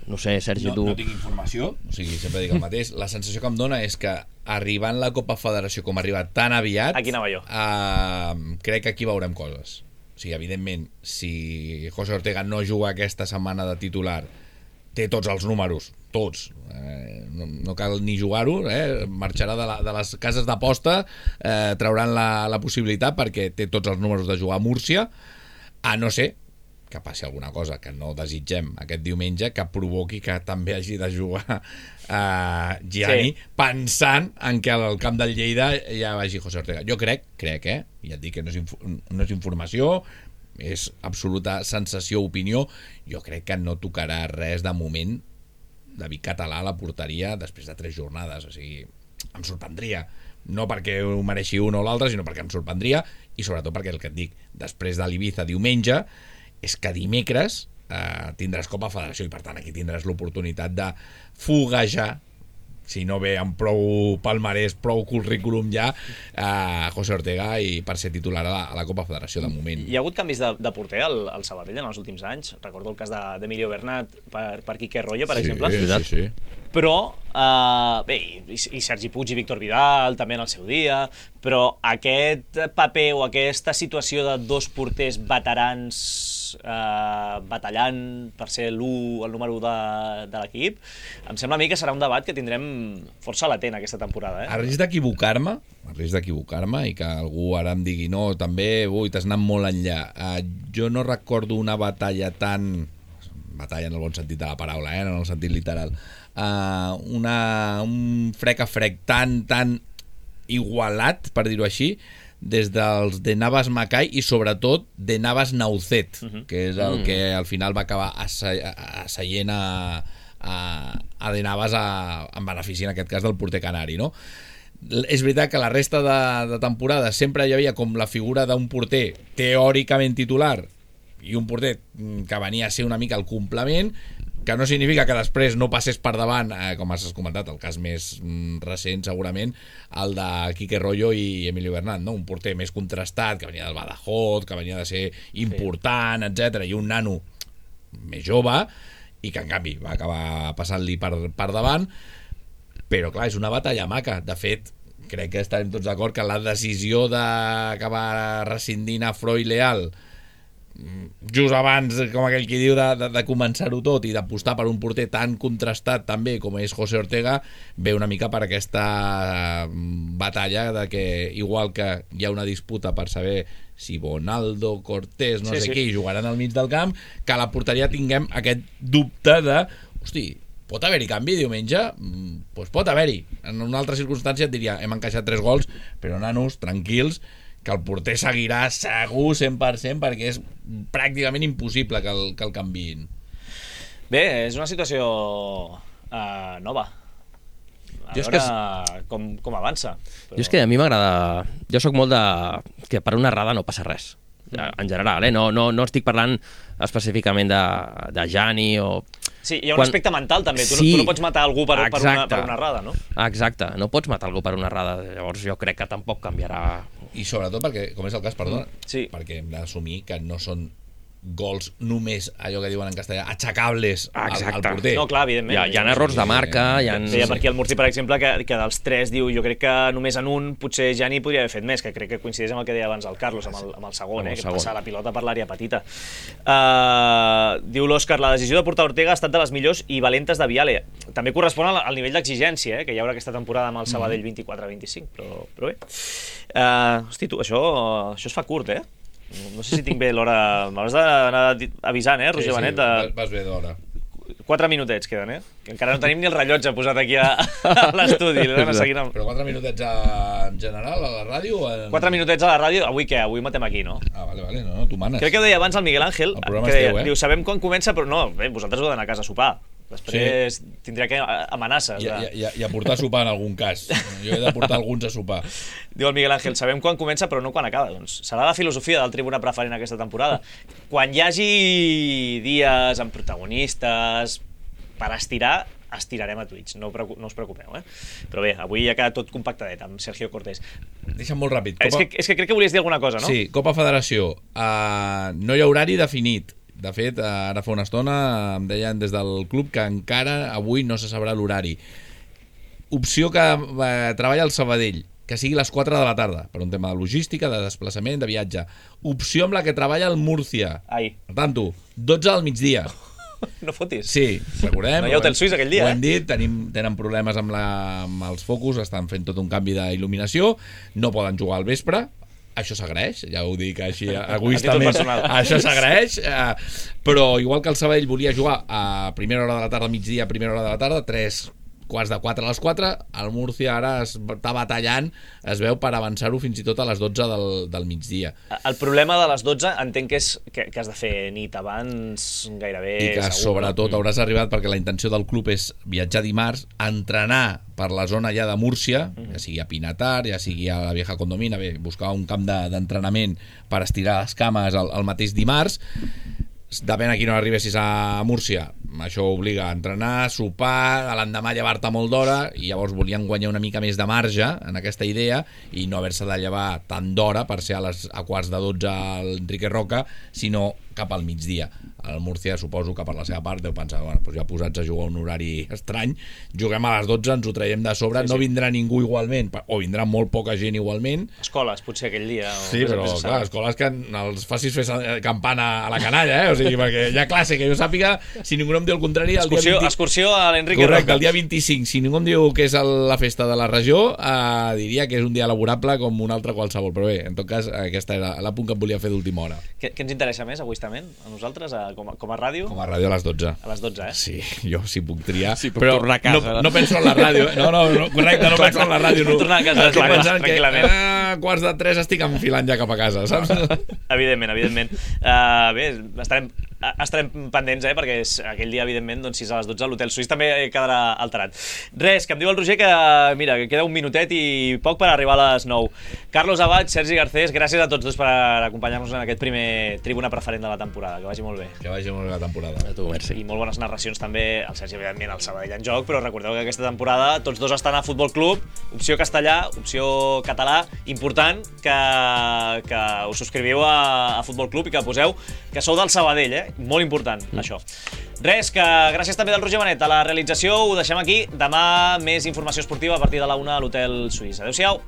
no sé, Sergi, no, tu... No tinc informació, o sigui, sempre dic el mateix. La sensació que em dona és que arribant la Copa Federació com ha arribat tan aviat... Aquí anava jo. Uh, crec que aquí veurem coses. O sigui, evidentment, si José Ortega no juga aquesta setmana de titular, té tots els números, tots, eh, no, no cal ni jugar-ho, eh, marxarà de, la, de les cases d'aposta, eh, trauran la, la possibilitat perquè té tots els números de jugar a Múrcia, a no ser que passi alguna cosa que no desitgem aquest diumenge, que provoqui que també hagi de jugar eh, Gianni, sí. pensant en que al camp del Lleida ja vagi José Ortega. Jo crec, crec, eh, ja et dic que no és, inf no és informació, és absoluta sensació, opinió, jo crec que no tocarà res de moment David Català a la porteria després de tres jornades, o sigui, em sorprendria, no perquè ho mereixi un o l'altre, sinó perquè em sorprendria, i sobretot perquè el que et dic, després de l'Ibiza diumenge, és que dimecres eh, tindràs Copa Federació, i per tant aquí tindràs l'oportunitat de foguejar, si no ve amb prou palmarès, prou currículum ja, a José Ortega i per ser titular a la, a la Copa Federació de moment. Hi ha hagut canvis de, de porter al, al Sabadell en els últims anys. Recordo el cas d'Emilio Bernat per, per Quique Royo, per sí, exemple. Sí, sí. Però, uh, bé, i, i Sergi Puig i Víctor Vidal també en el seu dia, però aquest paper o aquesta situació de dos porters veterans Uh, batallant per ser l'u, el número u de, de l'equip, em sembla a mi que serà un debat que tindrem força latent aquesta temporada. Eh? A risc d'equivocar-me, a risc d'equivocar-me i que algú ara em digui no, també, ui, t'has anat molt enllà. Uh, jo no recordo una batalla tan... batalla en el bon sentit de la paraula, eh? No en el sentit literal. Uh, una, un frec a frec tan, tan igualat, per dir-ho així, des dels de Navas Macay i sobretot de Navas Naucet, uh-huh. que és el mm. que al final va acabar asseient a, a, a de Navas a, en benefici, en aquest cas, del porter canari, no? És veritat que la resta de, de temporada sempre hi havia com la figura d'un porter teòricament titular i un porter que venia a ser una mica el complement, que no significa que després no passés per davant, eh, com has comentat, el cas més mm, recent segurament, el de Quique Rollo i Emilio Bernat, no? Un porter més contrastat, que venia del Badajoz, que venia de ser important, sí. etcètera, i un nano més jove, i que en canvi va acabar passant-li per, per davant. Però clar, és una batalla maca. De fet, crec que estarem tots d'acord que la decisió d'acabar rescindint a Froy Leal just abans, com aquell qui diu, de, de, de començar-ho tot i d'apostar per un porter tan contrastat també com és José Ortega, ve una mica per aquesta batalla de que, igual que hi ha una disputa per saber si Bonaldo, Cortés, no sí, sé sí. qui jugaran al mig del camp, que a la porteria tinguem aquest dubte de, hosti, pot haver-hi canvi diumenge? Doncs pues pot haver-hi. En una altra circumstància et diria, hem encaixat tres gols, però nanos, tranquils, que el porter seguirà segur cent per cent perquè és pràcticament impossible que el, que el canviïn. Bé, és una situació uh, nova. A jo veure és que... com, com avança. Però... Jo és que a mi m'agrada... Jo sóc molt de... que per una errada no passa res. En general, eh? No, no, no estic parlant específicament de, de Jani o... Sí, hi ha un Quan... aspecte mental també, tu, sí. no, tu no pots matar algú per, per, una, per una errada, no? Exacte, no pots matar algú per una errada, llavors jo crec que tampoc canviarà. I sobretot perquè, com és el cas, perdona, sí. perquè hem d'assumir que no són gols només, allò que diuen en castellà, aixecables al, al porter. No, clar, evidentment. Hi ha, hi ha errors de marca. Hi ha... Deia per aquí el Murci, per exemple, que, que dels tres diu, jo crec que només en un potser Jani podria haver fet més, que crec que coincideix amb el que deia abans el Carlos, amb el, amb el segon, amb el eh, segon. Que passa la pilota per l'àrea petita. Uh, diu l'Òscar, la decisió de portar Ortega ha estat de les millors i valentes de Viale. També correspon al, al nivell d'exigència eh, que hi haurà aquesta temporada amb el Sabadell vint-i-quatre vint-i-cinc, però, però bé. Uh, hosti, tu, això, això es fa curt, eh? No sé si tinc bé l'hora... M'hauràs d'anar avisant, eh, Roger sí, sí, Benet? De... vas bé d'hora. Quatre minutets queden, eh? Que encara no tenim ni el rellotge posat aquí a, a l'estudi. Amb... Però quatre minutets a... en general a la ràdio? En... Quatre minutets a la ràdio, avui què? Avui matem aquí, no? Ah, vale, vale, no, no, tu manes. Crec que ho deia abans el Miguel Ángel, el que deia, teu, eh? Diu, sabem quan comença, però no, bé, vosaltres heu d'anar a casa a sopar. Després sí. tindrà que amenaces. I, de... i, i a portar a sopar en algun cas. Jo he de portar alguns a sopar. Diu el Miguel Ángel, sabem quan comença però no quan acaba. Doncs serà la filosofia del Tribuna Preferent aquesta temporada. Quan hi hagi dies amb protagonistes per estirar, estirarem a Twitch, no, no us preocupeu, eh? Però bé, avui ja queda tot compactadet amb Sergio Cortés. Deixa'm molt ràpid. Copa... És, que, és que crec que volies dir alguna cosa, no? Sí, Copa Federació. Uh, no hi ha horari definit. De fet, ara fa una estona em deien des del club que encara avui no se sabrà l'horari. Opció que eh, treballa el Sabadell, que sigui les quatre de la tarda, per un tema de logística, de desplaçament, de viatge. Opció amb la que treballa el Múrcia. Ai. Per tant, dotze al migdia. No fotis. Sí, recordem. No hi ha hotel suís aquell dia, ho hem dit, tenim, tenen problemes amb, la, amb els focus, estan fent tot un canvi d'il·luminació, no poden jugar al vespre. Això s'agraeix, ja ho dic així egoistament, això s'agraeix, eh, però igual que el Sabadell volia jugar a primera hora de la tarda, migdia, primera hora de la tarda, tres quarts de quatre a les quatre, el Múrcia ara està batallant, es veu, per avançar-ho fins i tot a les dotze del, del migdia. El problema de les dotze entenc que és que, que has de fer nit abans gairebé i que segur, sobretot no? hauràs arribat, perquè la intenció del club és viatjar dimarts, entrenar per la zona ja de Múrcia, ja sigui a Pinatar, ja sigui a la Vieja Condomina, bé, buscar un camp d'entrenament de, per estirar les cames el, el mateix dimarts. Depèn a quina hora arribessis a Múrcia, això obliga a entrenar, sopar, a l'endemà llevar-te molt d'hora, i llavors volien guanyar una mica més de marge en aquesta idea i no haver-se de llevar tant d'hora per ser a, les, a quarts de dotze al Enrique Roca, sinó cap al migdia. El Múrcia, suposo que per la seva part deu pensar, bueno, doncs ja posats a jugar un horari estrany, juguem a les dotze, ens ho traiem de sobre, sí, sí. No vindrà ningú igualment, o vindrà molt poca gent igualment. Escoles, potser aquell dia. O sí, però clar, escoles que els facis fer campana a la canalla, eh? O sigui, perquè hi ha classe, que jo sàpiga, si ningú no em diu el contrari... El excursió, dia vint... excursió a l'Enrique Correcte, Roca. el dia vint-i-cinc. Si ningú em diu que és la festa de la regió, eh, diria que és un dia laborable com un altre qualsevol. Però bé, en tot cas, aquesta era l'apunt que em volia fer d'última hora. Què, què ens interessa més, egoistament, a nosaltres, a, com, a, com a ràdio? Com a ràdio a les dotze. A les dotze, eh? Sí, jo si puc triar. Sí, puc però tornar a casa. No, no penso en la ràdio. Eh? No, no, no, correcte, no penso en la ràdio. No. Tornar a casa, Estic clar, pensant que tranquil·lament. a quarts de tres estic enfilant ja cap a casa, saps? Evidentment, evidentment. Uh, bé, estarem, estarem pendents, eh, perquè és aquell dia, evidentment, doncs, sis a les dotze, l'Hotel Suís també quedarà alterat. Res, que em diu el Roger que, mira, que queda un minutet i poc per arribar a les nou. Carlos Abad, Sergi Garcés, gràcies a tots dos per acompanyar-nos en aquest primer tribuna preferent de la temporada. Que vagi molt bé. Que vagi molt bé la temporada. A tu, merci. I molt bones narracions també, el Sergi, evidentment, el Sabadell en joc, però recordeu que aquesta temporada tots dos estan a Futbol Club, opció castellà, opció català, important que, que us subscriviu a, a Futbol Club i que poseu que sou del Sabadell, eh? Molt important, mm. això. Res, que gràcies també del Roger Benet a la realització, ho deixem aquí. Demà més informació esportiva a partir de la una a l'Hotel Suís. Adéu-siau.